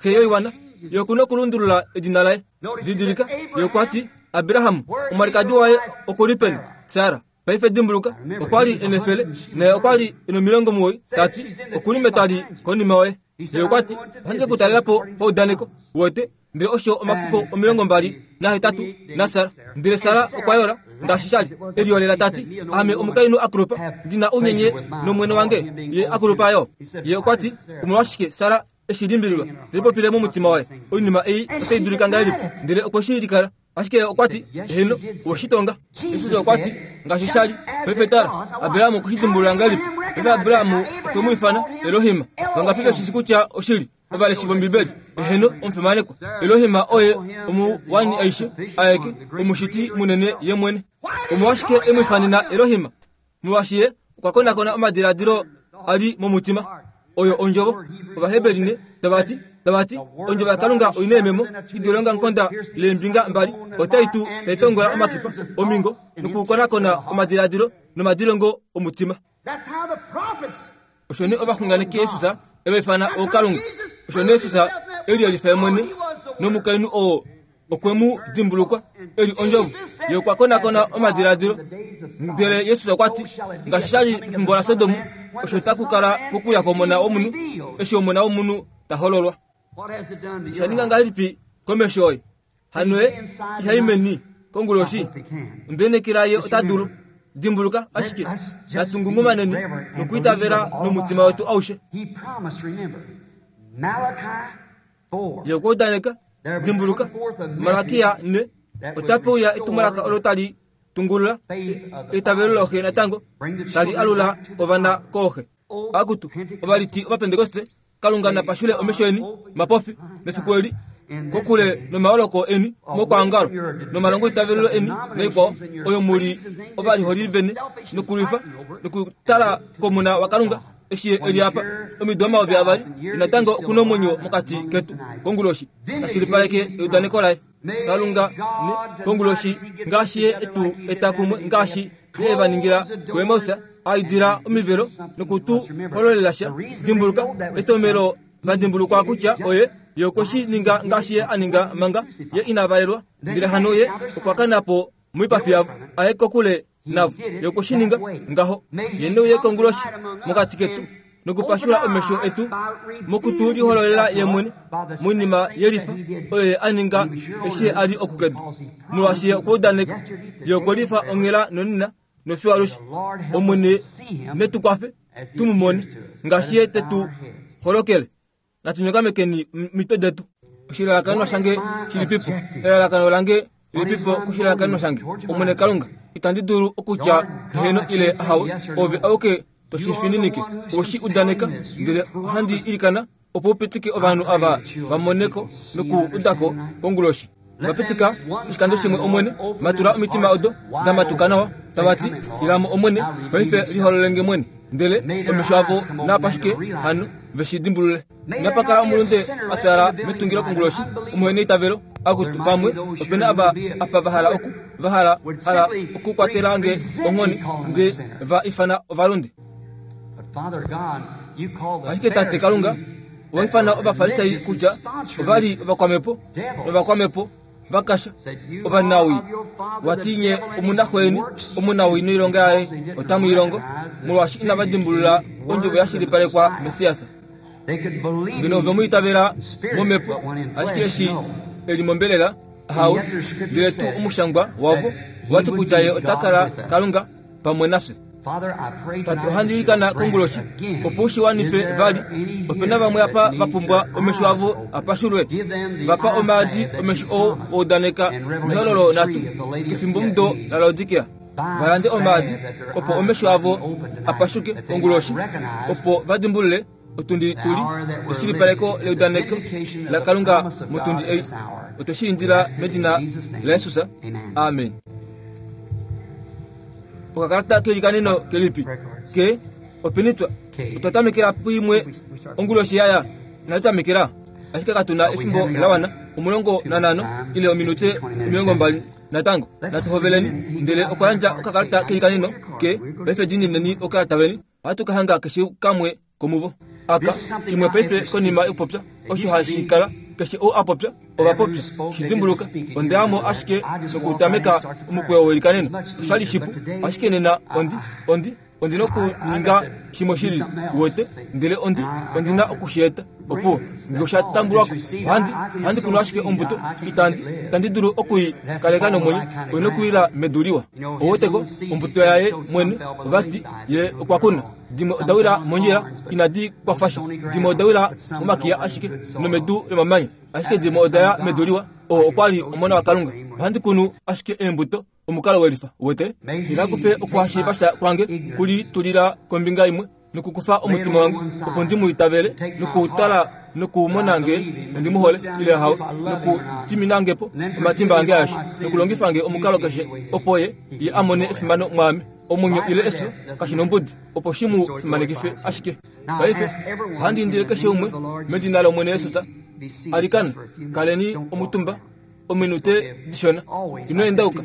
xe yoiwana. Ye oku nokulundulula edina laye. Didilika, ye okwa ti, Abraham, omwalikadi waye oku li peni? Sara. Paife dimbuluka, okwa li e nefele, naye okwa li e nomilongo ta ti, Oku li metwali konima yoye. Ye okwa ti, Ohandi ke ku talela po paudaneko, uwete, ndele osho omafiku 28 naSara. Ndele Sara okwa yola, ngaashi sha li, e liyolela ta ti, Ame omukainhu a kulupa, ndi na ounyenye nomwene wange, ye a kulupa yo. Ye okwa ti, Omolwashike Sara e shi limbililwa, te lipopile momutima waye, Oinima ei otai dulika ngahelipi? Ndele okwe shi likala. Ashike ye okwa ti, Eheno, owe shi tonga. Jesus okwa ti, Ngaashi sha li, paife tala, Abraham okwe shi dimbulula ngahelipi? Paife Abraham okwe mu ifana Elohim. Vangapi ve shi shii kutya oshili? Ovaleshi vOmbibeli. Eheno, omufimanekwa. Elohim oye omuwani aishe, aeke, omushiti munene ye mwene. Omolwashike e mu ifanena Elohim? Molwaashi ye okwa konakona omadiladilo a li momutima. Oyo ondjovo. Ovaheberi ne tava ti, tava ti, Ondjovo yaKalunga oi na eememo i dule ongamukonda leembinga mbali, otai tu tai tongola omakipa, omingo, nokukonakona omadiladilo nomadilongo omutima. Osho nee ovaxunganeki Jesus e va ifana ookalunga. Osho nee Jesus e liyelifa ye mwene nomukainhu oo okwe mu dimbulukwa e li ondjovo. Ye okwa konakona omadiladilo. Ndele Jesus okwa ti, ngaashi sha li pefimbo laSodom, osho taku kala pokuya kwOmona wOmunhu, eshi Omona wOmunhu ta hololwa. Osha ninga ngahelipi komesho oye? Hano ye ihai meni konguloshi. Ondenekela ye ota dulu. Dimbuluka ashike, natu ngungumaneni nokwiitavela nomutima wetu aushe. Ye okwa udaneka, dimbuluka, Malakia 4, otape uya etumwalaka olo tali tungulula eitavelo looxe natango, tali alula ovana kooxe. Akutu, ovaliti Ovapentekoste, Kalunga na pashule omesho eni mapofi mefiku eli, kokule nomaoloko eni mokwaongalo, nomalongoitavelelo eni naikwao, oyo mu li ovaliholi vene nokulwifa nokutala komuna waKalunga eshi ye e li apa omido 2000, ye natango oku na omwenyo mokati ketu konguloshi, ta shilipaleke eudaneko laye. Kalunga ne konguloshi ngaashi ye e tu eta kumwe ngaashi ye e va ningila kuEmaus, a idila omivelo noku tu hololela sha. Dimbuluka, etomelo va dimbulukwa kutya oye ye okwe shi ninga ngaashi ye a ninga manga ye ina valelwa, ndele hano ye okwa kana po moipafi yavo, a ye kokule navo. Ye okwe shi ninga ngaho. Ye ne uye konguloshi mokati ketu nokupashula omesho etu moku tu lihololela ye mwene moinima yelifa oyo ye a ninga eshi ye a li oku kedu. Molwaashi ye okwa udaneka, ye okwe lifa onghela nonena nofiyo alushe. Omwene ne tu kwafe tu mu mone ngaashi ye te tu holokele. Natu nyokamekeni omitwe detu. Oshilalakanenwa shange shilipipo? Elalakano lange lilipipo koshilalakanenwa shange? Omwene Kalunga, itandi dulu okutya heeno ile ahawe. Ove auke to shi fininike. Owe shi udaneka, ndele ohandi ilikana opo u pitike ovanhu ava va mone ko noku uda ko konguloshi. Va pitika oshikando shimwe, Omwene, matula omitima odo da matuka nawa, tava ti, Ila mo, Omwene, paife liholole nge mwene. Ndele omesho avo naa pashuke hano, ve shi dimbulule. Inapa kala omulunde a fyaala metungilo konguloshi, omuheneitavelo, akutu, pamwe ope na ava apa va hala oku, va hala, hala okukwatela nge onghone, nde va ifana ovalunde. Ashike Tate Kalunga, owa ifana Ovafarisai kutya ova li ovakwamhepo novakwamhepo va kasha ovanawii. Wa ti nye omunaxo yeni omunawii noilonga yaye otamu i longo, molwaashi inava dimbulula ondjovo ya shilipalekwa Messias. Ngeno ove mu itavela momhepo, ashike eshi e li mombelela, ahawe, ndele tuu omushangwa wavo owa ti kutya ye ota kala Kalunga pamwe nafye. Tate, ohandi ilikana konguloshi opo u shi wanife vali. Ope na vamwe apa va pumbwa omesho avo a pashulwe. Va pa omaadi omesho oo wa udaneka mehololo natu kefimbomudo laLaodikea. Va lande omaadi opo omesho avo a pashuke konguloshi, opo va dimbulule otundi tu li eshilipaleko leudaneko laKalunga motundi ei. Otwe shi indila medina laJesus. Amen. Okakalata kelikaneno kelipi ke openi twa otwa tamekela puimwe onguloshi yaya inatu tamekela ashike katu na efimbo la wana 15 ile ominute 20 natango natu hoveleni ndele okwa yandja okakalata kelikaneno ke paife diinineni okakalata veni Ohatu ka hanga keshe kamwe komuvo. Aka, shimwe paife konima yokupopya, osho hashi kala, keshe ou a popya, ova popya. Shi dimbuluka, onda ya mo ashike nokutameka omukweyo weilikaneno. Osha li shipu, ashike nena ondi, ondi, ondi nokuninga shimwe shilili, uwete, ndele ondi, ondi na oku shi eta. Opuwo, nge osha tambulwa ko, ohandi, ohandi kunu ashike ombuto, itandi, itandi dulu oku i kaleka nomwenyo, oi nokuwila medu liwa. Ouweteko, ombuto yaye mwene, ova ti, ye okwa kuna. Dimwe oda wila mondjila, inadi kwafa sha. Dimwe oda wila momakiya ashike, nomedu lomamanya. Ashike dimwe oda ya medu liwa. Oo okwa li Omona waKalunga. Ohandi kunu ashike eembuto, omukalo welifa. Uwete? Ina kufe okuhashiiva sha kwange ku litulila kombinga imwe nokukufa omutima wange opo ndi mu itavele nokutala nokumona nge ondi mu hole ile hawe nokudimina nge po omatimba ange aeshe nokulongifa nge omukalo keshe opo ye ye a mone efimano mwaame omwenyo ile efyo kashi nombudi opo shi mu fimanekife ashike paife ohandi indile keshe umwe medina lOmwene Jesus alikana kaleni omutumba ominute dishona ino endauka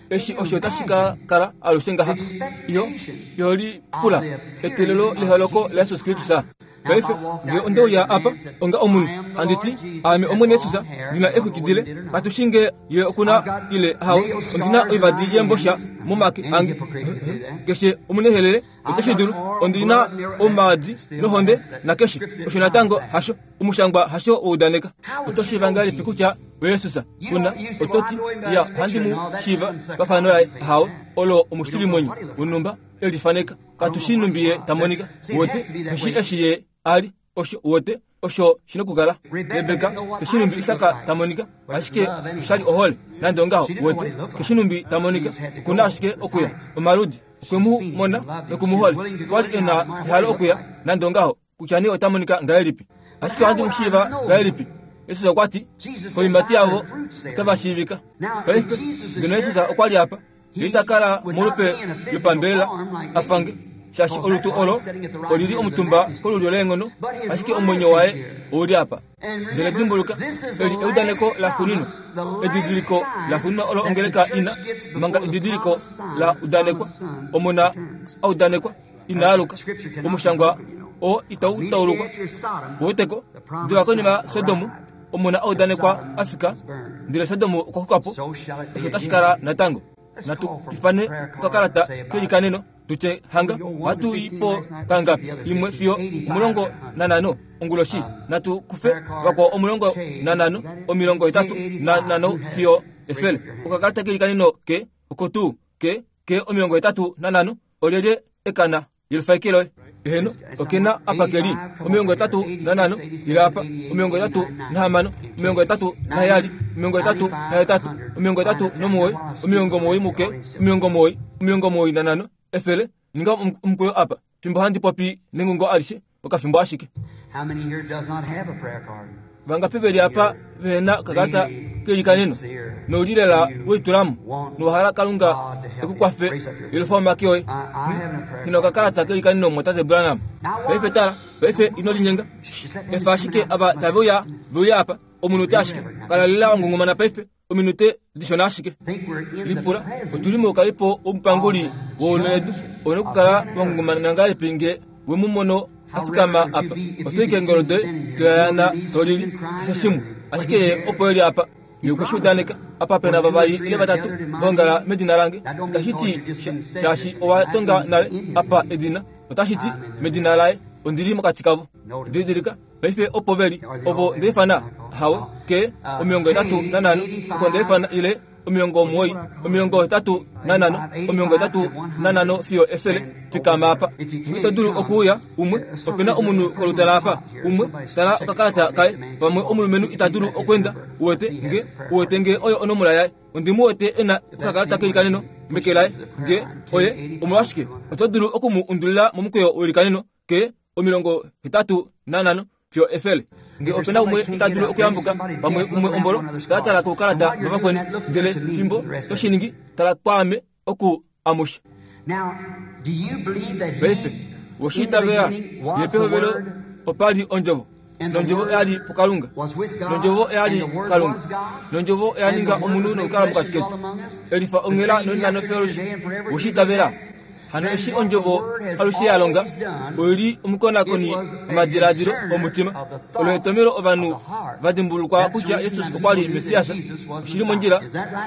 eshi osho tashi ka kala alushe ngaha iho iho lipula eteelelo leholoko laJesus Kristus. Paife, nge onde uya apa onga omunhu, handi ti, Aame Omwene Jesus, ndi na exwiki dile, katu shii nge Ye oku na ile ahawe, ondi na oivadi yeembosha momake ange. Keshe omunehelele ote shi dulu. Ondi na omaadi nohonde nakeshe osho natango hasho. Omushangwa hasho wa udaneka. Oto shiiva ngahelipi kutya oJesus? Kuna, oto ti, Ya, ohandi mu shiiva pafano laye. Ahawe, olo omushivimwenyo wonhumba e lifaneka. Katu shii nhumbi ye ta monika. Wote, tu shii eshi ye a li. Osho, wote, osho shi nokukala. Rebeka, ke shii nhumbi Isak ta monika, ashike osha li ohole, nande ongaho. Wote, ke shii nhumbi ta monika. Oku na ashike okuya. Omaludi. Okwe mu mona noku mu hole. Okwa li e na ehalo okuya, nande ongaho, kutya nee ota monika ngahelipi. Ashike ohandi mu shiiva ngahelipi? Jesus okwa ti, Koiimati yavo otava shiivika. Paife, ngeno Jesus okwa li apa, Ye ita kala molupe lopambelela a fange, shaashi olutu olo oli li omutumba kolulyo leenghono, ashike omwenyo waye ou li apa. Ndele dimbuluka, eli eudaneko laxuuninwa, edidiliko laxuuninwa olo ongeleka i na, manga edidiliko la udanekwa, Omona a udanekwa, ina aluka. Omushangwa oo itau taulukwa. Uweteko? Diva konima Sodom, Omona a udanekwa a fika, ndele Sodom okwa xuka po. Osho otashi kala natango. Natu ifane okakalata kelikaneno, tu tye hanga ohatu i po kangapi, imwe fiyo 15 onguloshi. Natu kufe vakwao 15, 85 fiyo 100. Okakalata kelikaneno ke oko tuu ke ke 85. Olyelye ekana yelufaike loye? Eheno, oke na apa ke li 85 ile apa 86, 87, 88, 89, 90 muke, 90, 95, 100. Ninga omukweyo apa, fimbo handi popi nengungo alishe, okafimbo ashike. Vangapi ve li apa vehe na okakalata keilikaneno, nou li lela we litula mo, nowa hala Kalunga e ku kwafe yelufa omake oye? Nghi na okakalata keilikaneno, Mumwatate Branham. Paife tala, paife ino linyenga. Efa ashike ava tave uya, ve uye apa, omunute ashike. Kala lela wa ngungumana paife. Ominute dishona ashike. Lipula, Otu li moukalipo womupanguli wounhu Ou na okukala wa ngungumana ngahelipi nge we mu mono a fikama apa? Oto i keengolo doye, to yayaana, to lili, keshe shimwe. Ashike ye opo e li apa. Ye okwe shi udaneka, Apa pe na vavali ile vatatu va ongala medina lange. Itashi ti sha shaashi owa tonga nale apa edina. Otashi ti, medina laye, ondi li mokati kavo. Didilika. Paife opo ve li, ovo nda ifana, hawe, ke, 85, oko nda ifana, ile 90, 85, 85 fiyo 100, fikama apa. Ito dulu okuuya, umwe, ope na omunhu kolutala apa, umwe, tala okakalata kaye, pamwe omulumenhu ita dulu okweenda, uwete nge, uwete nge oyo onomola yaye. Ondi mu wete e na okakalata keilikaneno meke laye, nge oye, omolwashike, oto dulu oku mu undulila momukweyo weilikaneno, ke, 85 fiyo 100. Nge ope na umwe ita dulu okuyambuka pamwe umwe ombolo, tala tala koukalata vavakweni, ndele fimbo to shi ningi, tala kwaame oku amushe. Paife, we shi itavela, ye pehovelo opa li Ondjovo, nOndjovo oya li puKalunga, nOndjovo oya li Kalunga, nOndjovo oya ninga omunhu nokukala mokati ketu, e lifa onghela nonena nofeolushi. We shi itavela? Hano eshi ondjovo alushe ya longa, oi li omukonakoni womadiladilo omutima. Olo etomhelo ovanhu va dimbulukwa kutya Jesus okwa li Messias. Oshi li mondjila?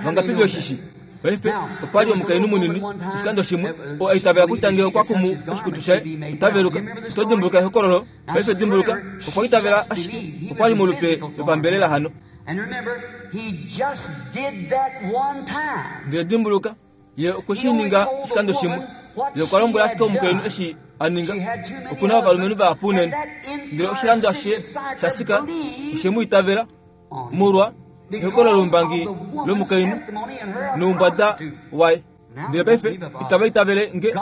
Vangapi ve shi shii? Paife, opa li omukainhu munini, oshikando shimwe, oo a itavela kutya ngee okwa kumu oshikutu shaye, ota veluka. Oto dimbuluka ehokololo? Paife dimbuluka, okwa itavela ashike okwa li molupe lopambelela hano. Ndele dimbuluka, Ye okwe shi ninga oshikando shimwe. Ye okwa lombwela ashike omukainhu eshi a ninga. Oku na ovalumenhu vahapu unene. Ndele oshilando ashishe shaSikar oshe mu itavela molwa ehokololombangi lomukainhu noumbwada waye. Ndele paife itava itavele nge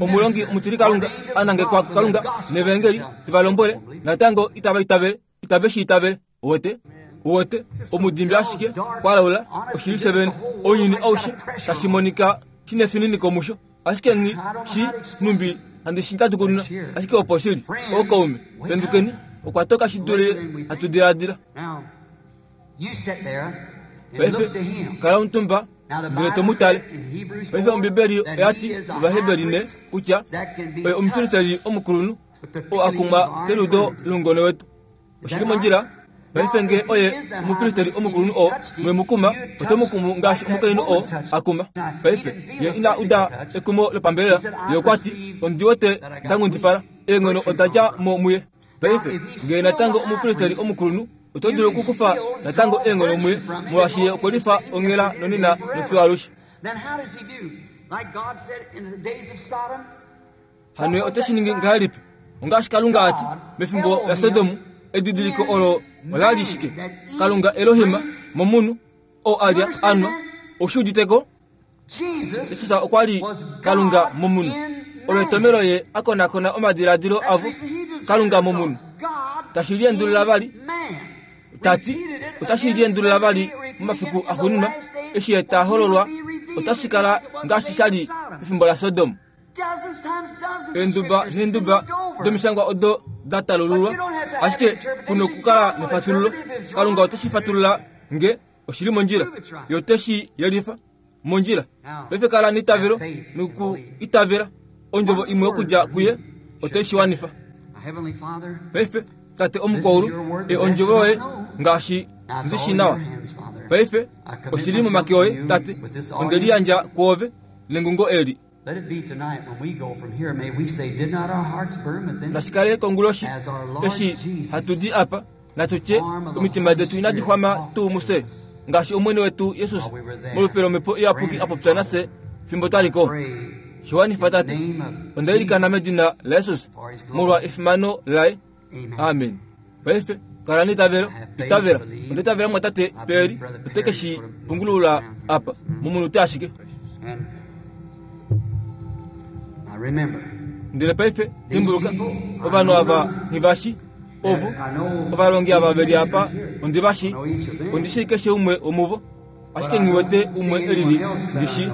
omulongi omutilikalunga a nangekwa kuKalunga nevaengeli te va lombwele, natango itava itavele, itave shi itavele. Uwete? Uwete? Omudimbi ashike kwa laula oshili shevene. Ounyuni aushe tashi monika shi nefininiko musho. Ashike nghi shi numbi handi shi tatukununa, ashike opo shili. Ookaume, pendukeni, okwa toka shi dule hatu diladila. Paife, kala omutumba ndele to mu tale. Paife Ombibeli oya ti Ovaheberi ne kutya oye omupristeli omukulunhu. oo a kumwa keliudo loungone wetu. Oshi li mondjila? Paife nge oye omupristeri omukulunhu oo mwe mu kuma, ote mu kumu ngaashi omukainhu oo a kuma. Paife, ye ina uda ekumo lopambelela, ye okwa ti, Ondi wete nda nghundipala. Eenghono oda dja mo muye. Paife, nge natango omupristeri omukulunhu, oto dulu okukufa natango eenghono muye, molwaashi ye okwe lifa onghela nonena nofiyo alushe. Hano ye ote shi ningi ngahelipi? Ongaashi Kalunga a ti, mefimbo laSodom, edidiliko olo ola li shike? Kalunga Elohim momunhu, oo a lya, a nwa. Ou shi udite ko? Jesus okwa li Kalunga momunhu. Olo etomelo ye a konakona omadiladilo avo, Kalunga momunhu. Tashi liendulula vali, ta ti, otashi liendulula vali momafiku axuuninwa, eshi ye ta hololwa, otashi kala ngaashi sha li pefimbo laSodom. Eenduba neenduba domishangwa odo da talululwa, ashike ku nokukala nefatululo. Kalunga ote shi fatulula nge oshi li mondjila, ye ote shi yelifa mondjila. Paife kala neitavelo noku itavela ondjovo imwe okudja kuye, ote shi wanifa. Paife, Tate omukwaulu, e ondjovo yoye ngaashi ndi shi nawa. Paife oshi li momake oye, Tate, onde liyandja kwoove nengungo eli. Nashi kale konguloshi eshi hatu di apa, natu tye omitima detu inadi xwama tuu mufye, ngaashi Omwene wetu Jesus molupe lOmhepo Iyapuki a popya nafye fimbo twa li ko. Shi wanifa, Tate. Onda ilikana medina laJesus, molwa efimano laye. Amen. Paife, kala neitavelo. Itavela. Onda itavela mumwatate Perry ote ke shi pungulula apa, momunute ashike. Ndele paife, dimbuluka, ovanhu ava nghi va shi, ovo, ovalongi ava ve li apa, ondi va shi. Ondi shii keshe umwe womuvo. Ashike nghi wete umwe e lili ndi shii.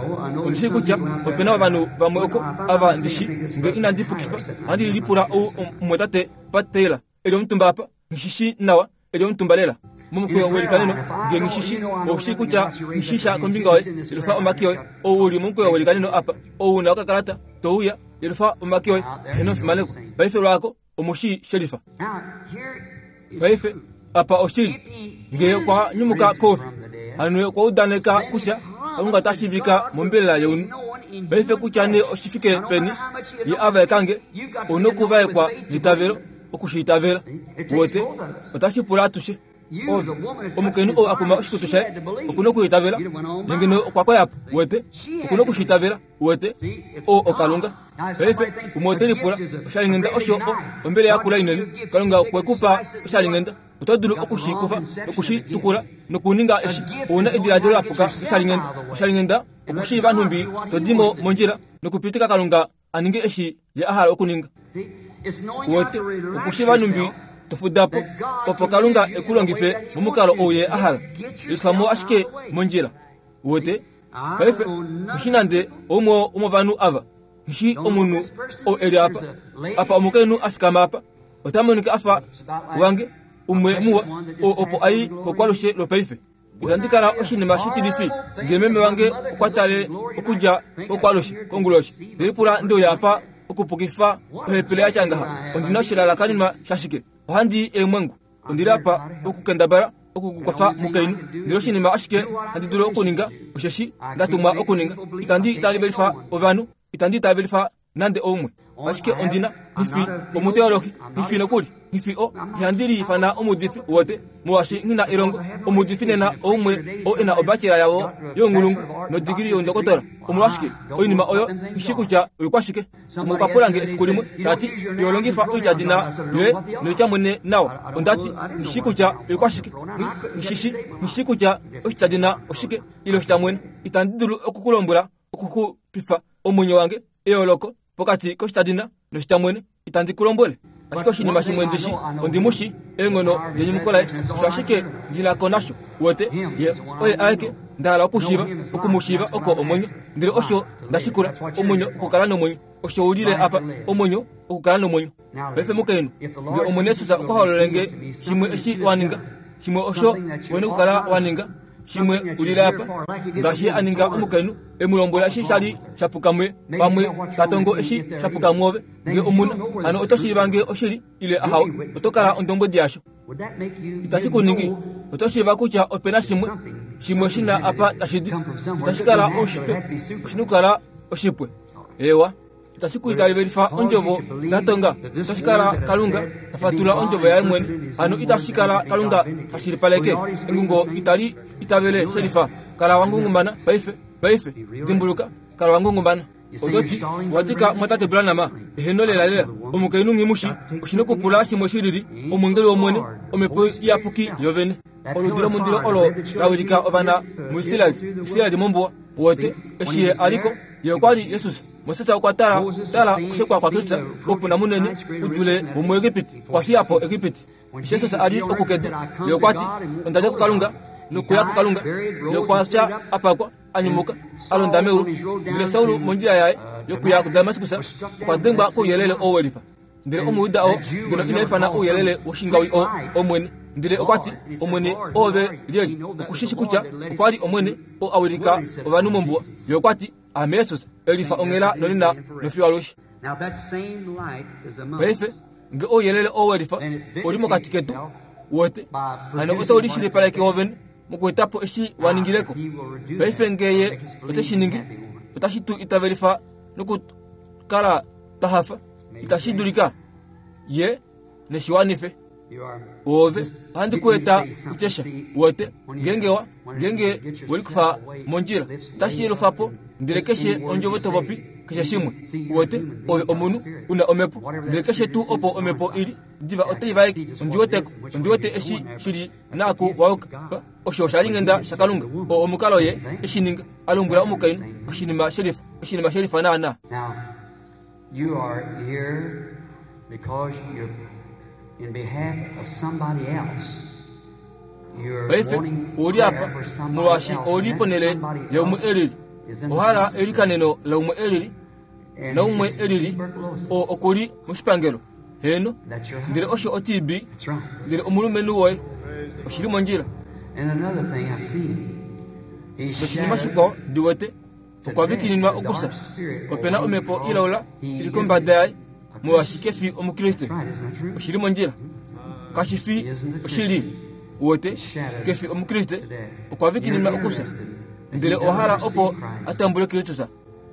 Ondi shii kutya ope na ovanhu vamwe oko ava ndi shii. Nge inandi pukifa, ohandi lipula ou omumwatate Pat Taylor e li omutumba apa. Nghi shi shii nawa, e li omutumba lela momukweyo welikaneno. Nge nghi shi shii, ou shii kutya nghi shii sha kombinga yoye. Yelufa omake oye. Ou u li momukweyo welikaneno apa, ou u na okakalata, to uya, yelufa omake oye. Heeno, fimaneko. Paife lwaako, omu shi shelifa. Paife, apa oshili, nge okwa nyumuka koufi, hano okwa udaneka kutya Kalunga ota shiivika mombelela younhu. Paife kutya nee oshi fike peni ye a vaeka nge, ou nokuvaekwa neitavelo, oku shi itavela. Uwete, otashi pula atushe. Ove, omukainhu ou a kuma oshikutu shaye, oku nokuitavela, nenge okwa koya po. Uwete, oku noku shi itavela. Uwete, oo oKalunga. Paife, umwe ote lipula, Oshalinghenda osho o, ombele yakula inene. Kalunga okwe ku pa oshalinghenda. Oto dulu oku shi kufa noku shi tukula nokuninga eshi. Ou na ediladilo la puka loshalinghenda. Oshalinghenda okushiiva nhumbi to di mo mondjila nokupitika Kalunga a ninge eshi Ye a hala okuninga. Uwete, okushiiva nhumbi to fuda po, opo Kalunga e ku longife momukalo ou Ye a hala. Lifa mo ashike mondjila. Uwete? Paife, nghi nande oumwe womovanhu ava. Nghi omunhu ou e li apa. Apa omukainhu a fikama apa. Ota monika a fa wange, umwe muwa, oo opo a i kokwalushe lwopaife. Itandi kala oshinima shitilifi nge meme wange okwa tale okudja kokwalushe konguloshi. Ndelipula ndi uya apa okupukifa ohepele ya tya ngaha. Ondi na oshilalakanenwa shashike? Ohandi i eemwengu. Ondi li apa okukendabala oku ku kwafa mukainhu, ndele oshinima ashike handi dulu okuninga osheshi nda tumwa okuninga. Itandi itavelifa ovanhu, itandi itavelifa nande oumwe. Ashike ondi na, nghi fi omuteolohi, nghi fi nokuli, nghi fi o, ihandi liifana omuudifi, uwete, molwaashi nghi na elongo. Omuudifi nena oumwe oo e na obachelor yavo younghulungu nodigili youndokotola. Omolwashike, oinima oyo nghi shii kutya oikwashike. Umwe okwa pula nge efiku limwe, ta ti, Iho longifa oityadina yoye noitya mwene nawa. Onda ti, Nghi shii kutya oikwashike. Nghi shi shii. Nghi shii kutya oshityadina oshike, ile oshitya mwene. Itandi dulu oku ku lombwela okuxupifa omwenyo wange, eyooloko pokati koshityadina noshitya mwene. Itandi ku lombwele. Ashike oshinima shimwe ndi shi, ondi mu shi, eenghono denyumuko laye, osho ashike ndi na ko nasho. Uwete, ye oye aeke nda hala okushiiva, oku mu shiiva oko omwenyo. Ndele osho nda shikula, omwenyo okukala nomwenyo. Osho u lile apa, omwenyo okukala nomwenyo. Paife mukainhu, nge Omwene Jesus okwa hololele nge shimwe eshi wa ninga, shimwe osho u na okukala wa ninga. Shimwe ulile apa, ngaashi Ye a ninga omukainhu, e mu lombwela eshi sha li sha puka muye, pamwe ta tongo eshi sha puka mwoove. Nge omu na, hano oto shiiva nge oshili ile ahawe, oto kala ondombwedi yasho. Itashi ku ningi, oto shiiva kutya ope na shimwe, shimwe shi na apa tashi di. Itashi kala oushitwe, oshi na okukala oshipwe. Eewa. Itashi ku itavelifa ondjovo ya tonga, otashi kala Kalunga ta fatula ondjovo yaye mwene. Hano itashi kala Kalunga ta shilipaleke. Engungo itali itavele shelifa. Kala wa ngungumana paife, paife. Dimbuluka, kala wa ngungumana. Oto ti, Owa dika mwatate Branham? Eheno lelalela. Omukainhu nghi mu shi, oshi nokupula shimwe shilili, Omwengeli wOmwene, Omhepo Iyapuki yovene. Oludi lomundilo olo la wilika ovana muIsrael, Israel mombuwa. Uwete, eshi ye a li ko, ye okwa li Jesus. Moses okwa tala, tala okushekwa kwaKristus, oupuna munene u dule womuEgipiti, okwa fiya po Egipiti. Eshi Jesus a li oku kedu, ye okwa ti, Onda dja kuKalunga nokuya kuKalunga. Ye okwa fya, a pakwa, a nyumuka, a londa meulu. Ndele Saul mondjila yaye yokuya kuDamaskus okwa dengwa kouyelele oo we lifa. Ndele Omujuda oo ngeno ina ifana ouyelele woshingawi oo Omwene, ndele okwa ti, Omwene, oove lyelye? Oku shi shi kutya okwa li Omwene oo a wilika ovanhu mombuwa. Ye okwa ti, Aame Jesus, e lifa onghela nonena nofiyo alushe. Paife, nge ouyelele oo we lifa oli mokati ketu, uwete, hano otau lishilipaleke wovene mokueta po eshi wa ningile ko. Paife nge Ye ote shi ningi, otashi tu itavelifa nokukala twa hafa. Itashi dulika ye neshi wanife. Oove ohandi ku eta kutyesha uwete ngeenge wa ngeenge we likufa mondjila otashi yelufa po ndele keshe ondjovo to popi keshe shimwe uwete ove omunhu u na omhepo ndele keshe tuu opo omhepo i li diva otai vaeke ondi weteko ondi wete eshi shi li naaku wa yuka osho osha li nghenda shaKalunga oo omukalo ye eshi ninga a lombwela omukainhu oshinima shelifa oshinima shelifa naanaa. You are here because you're in behalf of somebody else. You're Paife wanting ou li apa prayer for somebody molwaashi else, ou li and that ponhele somebody yaumwe else e lili. is in Owa hala the eilikaneno laumwe e lili And naumwe it's e lili tuberculosis. oo oku li moshipangelo. Heeno, That's your ndele husband. osho oTB, That's right. ndele omulumenhu woye. Oshi li mondjila. And another thing I see, he's Noshinima shattered shikwao ndi wete, okwa vikininwa okufya. Ope na omhepo ilaula i li kombada yaye, molwaashi ke fi Omukriste. Oshi li mondjila. Kashi fi oshili. Uwete, ke fi Omukriste, okwa vikininwa okufya. Ndele owa hala opo a tambule Kristus.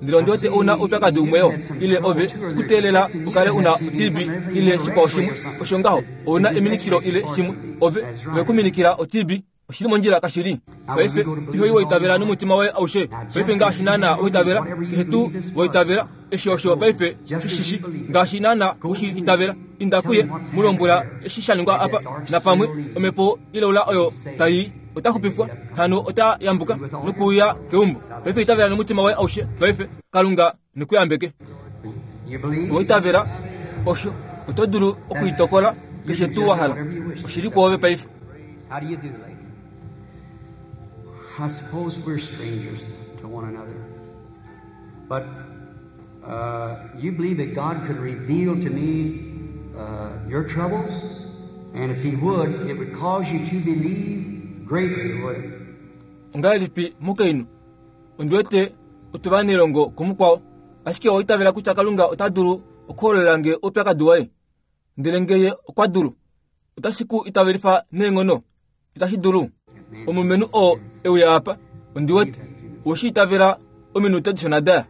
Ndele ondi wete ou na oupyakadi umwe yo, ile ove ku teelela u kale u na oTB ile shikwao shimwe. Osho ngaho, ou na eminikilo ile shimwe. Ove, ove ku minikila oTB. Oshi li mondjila kashili. Paife, iho iwa itavela nomutima woye aushe. Paife ngaashi naana wa itavela, keshe tuu wa itavela, eshi osho paife shi shishi. Ngaashi naana u shi itavela, inda kuye, mu lombwela eshi sha ningwa apa, napamwe omhepo ilaula oyo tai i, ota xupifwa, hano ota yambuka nokuuya keumbo. Paife itavela nomutima woye aushe. Paife, Kalunga ne ku yambeke. Owa itavela osho, oto dulu okuitokola keshe tuu wa hala. Oshi li kwoove paife. How do you do, lady? I suppose we're strangers to one another. But uh, you believe that God could reveal to me uh, your troubles? And if He would, it would cause you to believe greatly, would it? Ongahelipi mukainhu? Ondi wete otu va nelongo kumukwao. Ashike owa itavela kutya Kalunga ota dulu okuhololela nge oupyakadi woye? Ndele nge Ye okwa dulu, otashi ku itavelifa neenghono? Itashi dulu. Omulumenhu oo e uya apa, ondi wete, owe shi itavela ominute dishona da ya.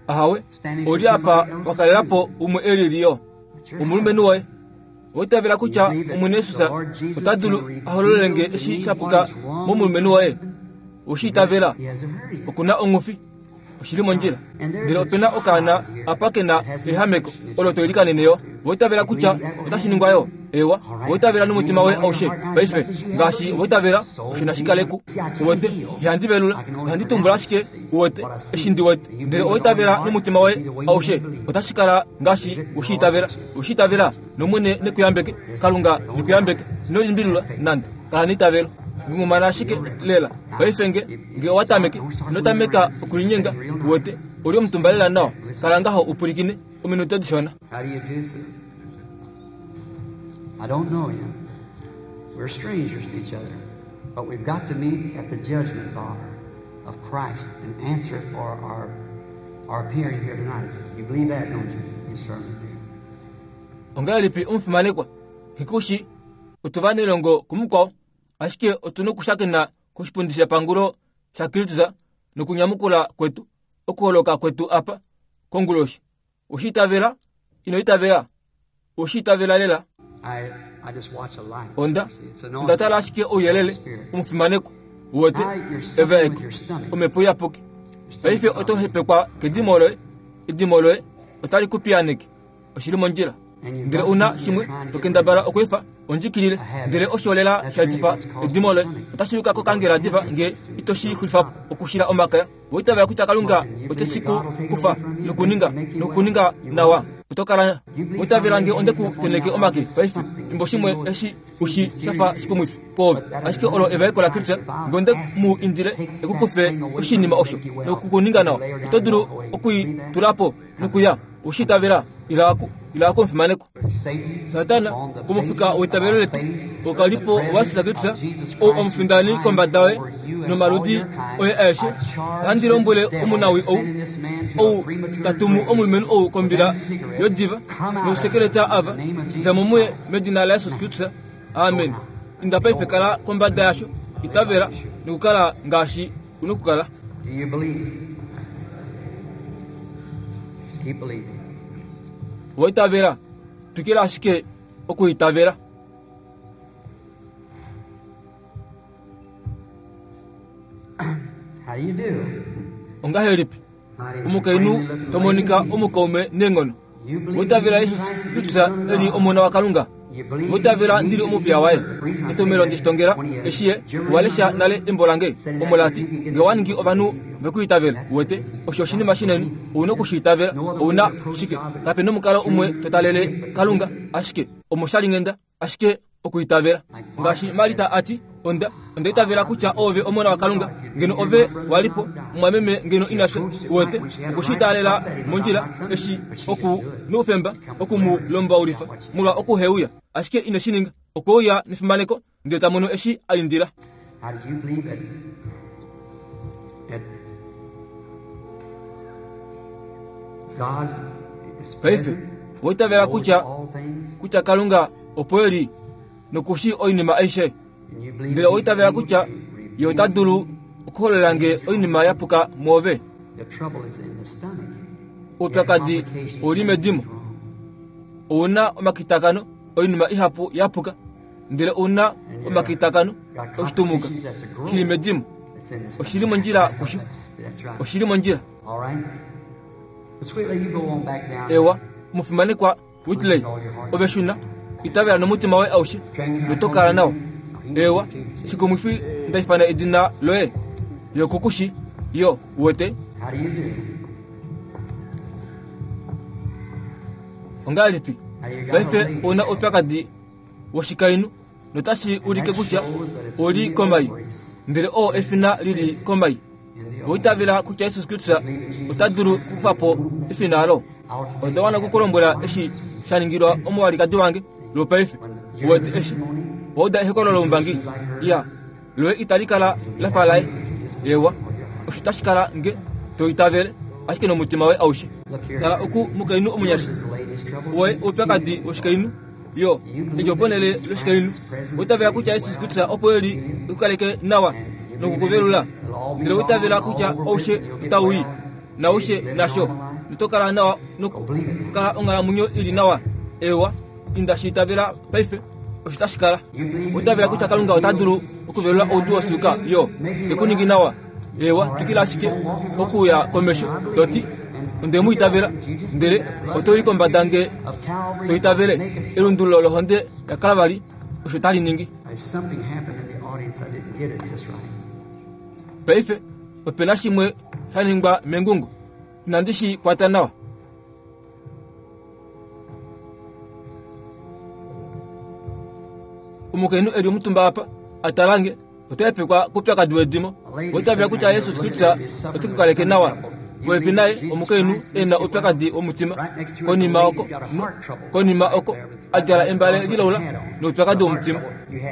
Ahawe, ou li apa wa kalela po umwe e lili yo, omulumenhu woye. Owa itavela kutya Omwene Jesus ota dulu a hololele nge eshi sha puka momulumenhu woye? Owe shi itavela? Oku na ongufi. Oshi li mondjila. Ndele ope na okaana apa ke na ehameko olo to ilikanene yo. Owa itavela kutya otashi ningwa yo? Ewa, owa itavela nomutima woye aushe paife. Ngaashi wa itavela, osho nashi kale ku. Uwete, ihandi velula, ohandi tumbula ashike, uwete, eshi ndi wete. Ndele owa itavela nomutima woye aushe, otashi kala ngaashi we shi itavela. We shi itavela, nOmwene ne ku yambeke. Kalunga ne ku yambeke. Ino limbililwa nande. Kala neitavelo. Ngungumana ashike lela. Paife nge, nge owa tameke, ino tameka okulinyenga, uwete, oli omutumba lela nawa. Kala ngaho u pwilikine, ominute dishona. How do you do, sir? I don't know you. We're strangers to each other. But we've got to meet at the judgment bar of Christ and answer for our, our appearing here tonight. You believe that, don't you? You certainly do. Ongahelipi omufimanekwa Hikushi otu vanelongo kumukwao ashike otu nokushakena koshipundi shepangulo shaKristus nokunyamukula kwetu okuholoka kwetu apa konguloshi. Oshi itavela? Ino itavela? Oshi itavela lela? I, I just watch a light. Onda It's onda anointing. tala ashike ouyelele omufimanekwa uwete evaeko omhepo iyapuki. Paife oto hepekwa kedimo loye, edimo loye otali ku piyaaneke. Oshili mondjila. Ndele una shimwe to kendabala okweefa ondjikilile, ndele osho lela sha etifa edimo loye otashi yuka kokangela diva nge ito shi xulifa po okushila omakaya. Oitavela kutya Kalunga ote shi ku kufa nokuninga nokuninga nawa. Oto kala oitavela nge onde ku tenheke omake paife fimbo shimwe eshi ushi shafa shikumwifi kwoove, ashike olo evaeko laKristus nge onde mu indile e ku kufe oshinima osho nokukuninga nawa, oto dulu okui tula po nokuya. Oshi itavela? Ila aku, ila aku omufimanekwa. Satan, Satana on the komufika basis weitavelo of our letu faith, okalipo the wa Jesus presence Kristus of Jesus ou Christ omufindani kombada yoye over you and all nomaludi your kind, oye aeshe. I charge Ohandi this lombwele devil omunawi that's ou sending this man to a ou premature tatumu grave omulumenhu ou with kombila them cigarettes, yodiva come out of nousekeleta him in ava the name of Jesus dja mo muye Christ. medina laJesus Kristus. Amen. Inda paife kala kombada yasho, itavela nokukala ngaashi u nokukala. Do you believe? Just keep believing. Owa itavela, twikila ashike okuitavela. How do you do? Ongahelipi Mighty omukainhu friendly looking to monika lady. omukaume neenghono? You believe Oitavela Jesus Jesus Christ to be the Kristus Son of e li God. Omona waKalunga. You believe Oitavela you ndili need to omupiya be waye. the reason I say Etomhelo that, ndi shitongela when you eshi ye Germany walesha nale embo lange said that omo lati you can get nge wa ningi the ovanhu vekuitavela That's uwete the osho oshinima shinene ou na okushiitavela No other ou way na to approach shike God but kape nomukalo umwe through to talele the gift. Kalunga ashike omoshalinghenda ashike okuitavela ngaashi Marita ati onda onda itavela kutya ove omona waKalunga ngeno ove walipo omwameme ngeno inasha uwete okushiitalela mondjila eshi oku noufemba oku mu lombaulifa molwa okuheuya ashike ine shi ninga okweuya nefimaneko ndele ta mono eshi a indila. How do you believe that, that God is Paife present, oitavela knows kutya all things, kutya Kalunga opo e li nokushi oinima aishe and you believe ndele he's oitavela able kutya to ye ota reveal dulu okuholola nge oinima ya puka mwoove. The trouble is in the stomach. Oupyakadi Complications ouli medimo wrong. ou na omakitakano oinima ihapu ya puka ndele ou na omakitakano Got oshitumuka complications, that's a growth. shili medimo It's in the stomach. oshili mondjila kusho That's right. oshili mondjila. All right. The sweet lady, you go on back down. Ewa omufimanekwa Whitley ove shuna itavela nomutima woye aushe noto kala nawa. Ewa shikumwifi ndaifana edina loye yokukushi yo uwete How do you do? ongahelipi Now you got a paife lady. ou na oupyakadi woshikainhu notashi ulike kutya oli komai ndele oo efina lili komai. Oitavela kutya Jesus Kristus ota dulu okukufa po efina alo. Onda wana okukulombwela eshi sha ningilwa omuwalikadi wange lwopaife uwete eshi wauda ehokololo loumbangi ya loye itali kala la fa laye. Ewa osho tashi kala nge to itavele ashike nomutima woye aushe. Tala oku mukainhu omunyasha Yours is the lady's trouble. woye oupyakadi woshikainhu yo edjo ponhele loshikainhu oitavela kutya Jesus Kristus opo e li ekukaleke nawa nokukuvelula ndele oitavela kutya oushe otau i naushe nasho noto kala nawa nokukala onghalamwenyo ili nawa. Ewa inda shi itavela paife osho tashi kala. Oitavela kutya Kalunga ota dulu okuvelula oudu wosuuka yo ekuningi nawa. Ewa twikila ashike okuya komesho toti onde mu itavela ndele oto i kombada nge Of Calvary, to itavele make it so. elundululo lohonde yaKalvari osho tali ningi. There's something happened in the audience. I didn't get it just right. Paife opena shimwe sha ningwa mengungo inandi shi kwata nawa. Omukainhu e li omutumba apa a tala nge ota hepekwa koupyakadi wedimo. Oitavela kutya Jesus Kristus ote ku kaleke nawa. Popepi naye omukainhu e na oupyakadi womutima konima oko konima oko a djala embale lilaula Noupyakadi womutima.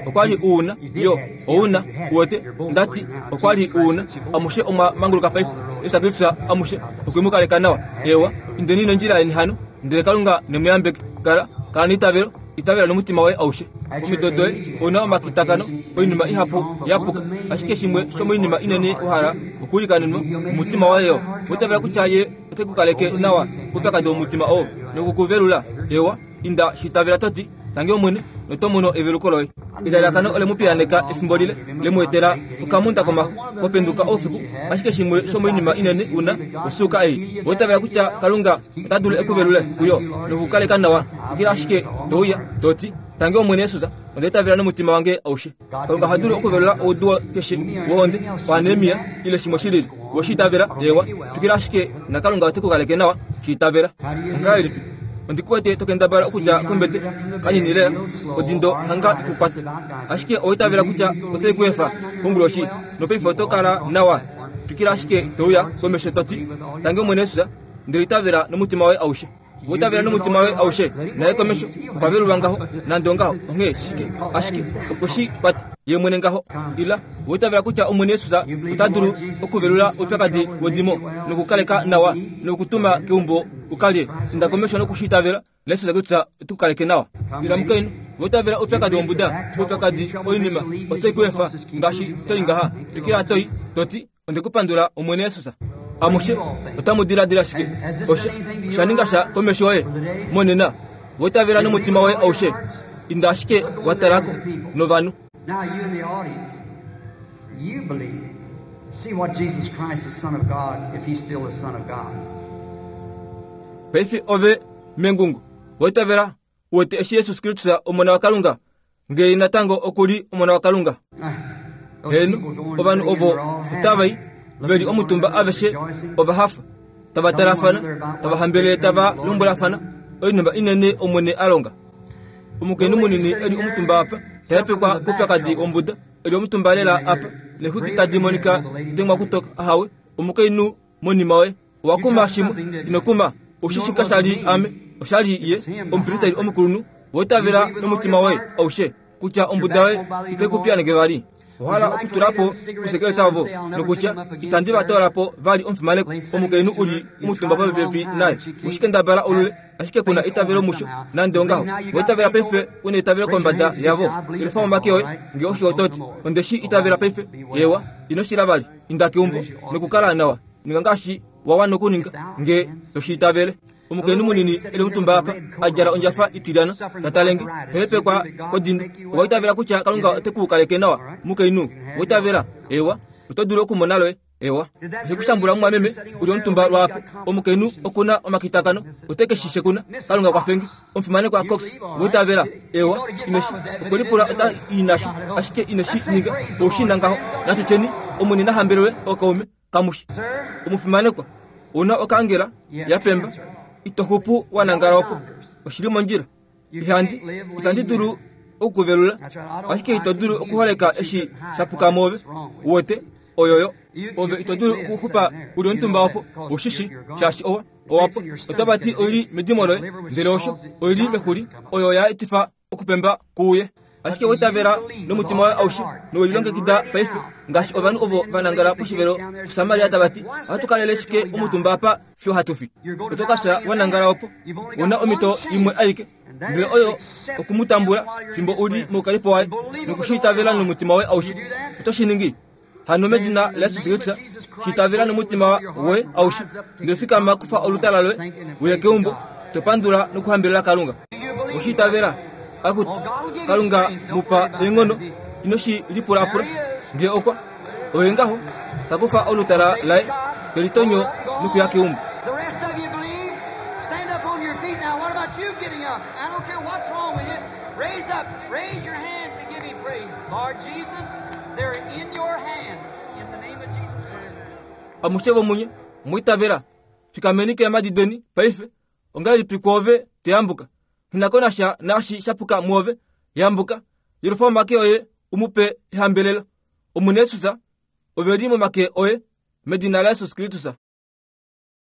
Okwa li u na, yo, ou na, uwete, nda ti, okwa li u na. Amushe omwa manguluka paife. Jesus Kristus amushe okwe mu kaleka nawa. Eewa, indeni nondjila yeni hano, ndele Kalunga ne mu yambeke. Kala, kala neitavelo, itavela nomutima woye aushe. Omido doye, ou na omakitakano, oinima ihapu ya puka. Ashike shimwe shomoinima inene wa hala okuilikanenwa, omutima woye yo. Owa itavela kutya Ye ote ku kaleke nawa koupyakadi womutima oo, noku ku velula? Eewa, inda, shi itavela to ti, Tangi Omwene, noto mono eveluko loye. Elalakano ole mu piyaaneka efimbo lile, le mu etela okamunda komaxu, ho penduka oufiku, ashike shimwe shomoinima inene u na, osuuka ei. Owa itavela kutya Kalunga ota dulu e ku velule kuyo noku ku kaleka nawa? Twikila ashike to uya, to ti, Tangi Omwene Jesus, onda itavela nomutima wange aushe. Kalunga oha dulu okuvelula oudu keshe wohonde, oanemia, ile shimwe shi lili. We shi itavela? Eewa. Twikila ashike, naKalunga ote ku kaleke nawa. Shi itavela. Ongahelipi? Ondi ku wete to kendabala okudja kombete kanini lela, odindo hanga i ku kwate. Ashike owa itavela kutya otai ku efa konguloshi, nopaife oto kala nawa. Twikila ashike to uya komesho to ti, Tangi Omwene Jesus, ndele itavela nomutima woye aushe. Okutavela nomutima waye aushe, naye komesho okwa velulwa ngaho, nande ongaho, onghee shike, ashike okwe shi kwata ye mwene ngaho. Ila, oitavela kutya Omwene Jesus ota dulu okuvelula oupyakadi wedimo nokukaleka nawa nokutuma keumbo u ka lye. Inda komesho noku shi itavela, naJesus kutya ote ku kaleke nawa. Ila mukainhu, oitavela oupyakadi wombuda, oupyakadi oinima otai ku efa ngaashi to i ngaha. Twikila to i, to ti, Onde ku pandula, Omwene Jesus. Amushe otamu diladila shike? Osha, osha ninga sha komesho yoye monena. Wa itavela nomutima woye aushe. Inda ashike wa tala ko novanhu. Now you in the audience, you believe. See what Jesus Christ, the Son of God, if he's still the Son of God. Paife ove mengungo, wa itavela U wete eshi Jesus Kristus Omona waKalunga, nge natango oku li Omona waKalunga. Heeno, ovanhu ovo otava i, ve li omutumba aveshe ova hafa, tava talafana, tava hambelele tava lombwelafana oinima inene Omwene a longa. Omukainhu munini e li omutumba apa, ta hepekwa koupyakadi wombuda, e li omutumba lela apa, neexwiki tadi monika dengwa kutoka. Ahawe, omukainhu monima woye. Owa kuma shimwe, ino kuma. Oshishi kasha li ame, osha li ye, omupristeri omukulunhu. Wa itavela nomutima woye aushe kutya ombuda yoye itai ku piyaaneke vali. Owa hala okutula po ousekeleta ovo nokutya, Itandi va toola po vali omufimanekwa. Omukainhu u li omutumba popepi naye. We shi kendabala olule, ashike ku na eitavelo musho. Nande ongaho, wa itavela paife u na eitavelo kombada yavo. Yelufa omake oye, nge osho oto ti, Onde shi itavela paife. Eewa, ino shila vali. Inda keumbo nokukala nawa. Ninga ngaashi wa wana okuninga, nge to shi itavele. Omukainhu munini e li omutumba apa, a djala ondjafa itilyana, ta tale nge, ta hepekwa kodindo. Owa itavela kutya Kalunga ote ku kaleke nawa, mukainhu? Owa itavela? Eewa. Oto dulu okumona loye. Eewa. Oshe ku shambula, mumwameme, u li omutumba lwaapo. Omukainhu oku na omakitakano, ote ke shi shekuna. Kalunga kwafe nge. Omufimanekwa Cox, owa itavela? Eewa. Ine shi, okwe lipula ota i nasho, ashike ine shi ninga. Ou shi na ngaho. Natu tyeni, Omwene na hambelelwe, ookaume. Kamushi. Omufimanekwa, ou na okaangela ya pemba, ito xupu wa nangala opo. Oshi li mondjila. Ihandi, itandi dulu oku ku velula, ashike ito dulu okuholeka eshi sha puka mwoove. Uwete, oyoyo. Ove ito dulu okuxupa u li omutumba opo, ou shi shi, shaashi owa, owa pwa. Otava ti oi li medimo loye, ndele osho, oi li mexuli, oyo ya etifa okupemba kuuye. Ashike owa itavela nomutima woye aushe nowe lilongekida paife, ngaashi ovanhu ovo va nangala poshivelo puSamaria tava ti, Ohatu kalele shike omutumba apa fiyo hatu fi? Oto ka fya wa nangala opo. U na omhito imwe aike, ndele oyo oku mu tambula fimbo u li moukalipo waye noku shi itavela nomutima woye aushe. Oto shi ningi? Hano medina laJesus Kristus, shi itavela nomutima woye aushe, ndele fikama, kufa olutala loye, uye keumbo, to pandula nokuhambelela Kalunga. Oshi itavela? Akutu, Kalunga mu pa eenghono, ino shi lipulapula. Nge okwa, oye ngaho, ta kufa olutala laye, te litonyo nokuya keumbo. The rest of you believe? Stand up on your feet now. What about you getting up? I don't care what's wrong with you. Raise up, raise your hands and give him praise. Lord Jesus, they're in your hands in the name of Jesus Christ. Amushe vomunye, mwa itavela, fikameni keemhadi deni paife. Ongahelipi kwoove to yambuka? Nghi na ko nasha naashi sha puka mwoove. Yambuka, yelufa omake oye u mu pe ehambelelo. Omwene Jesus, ove li momake oye, medina laJesus Kristus.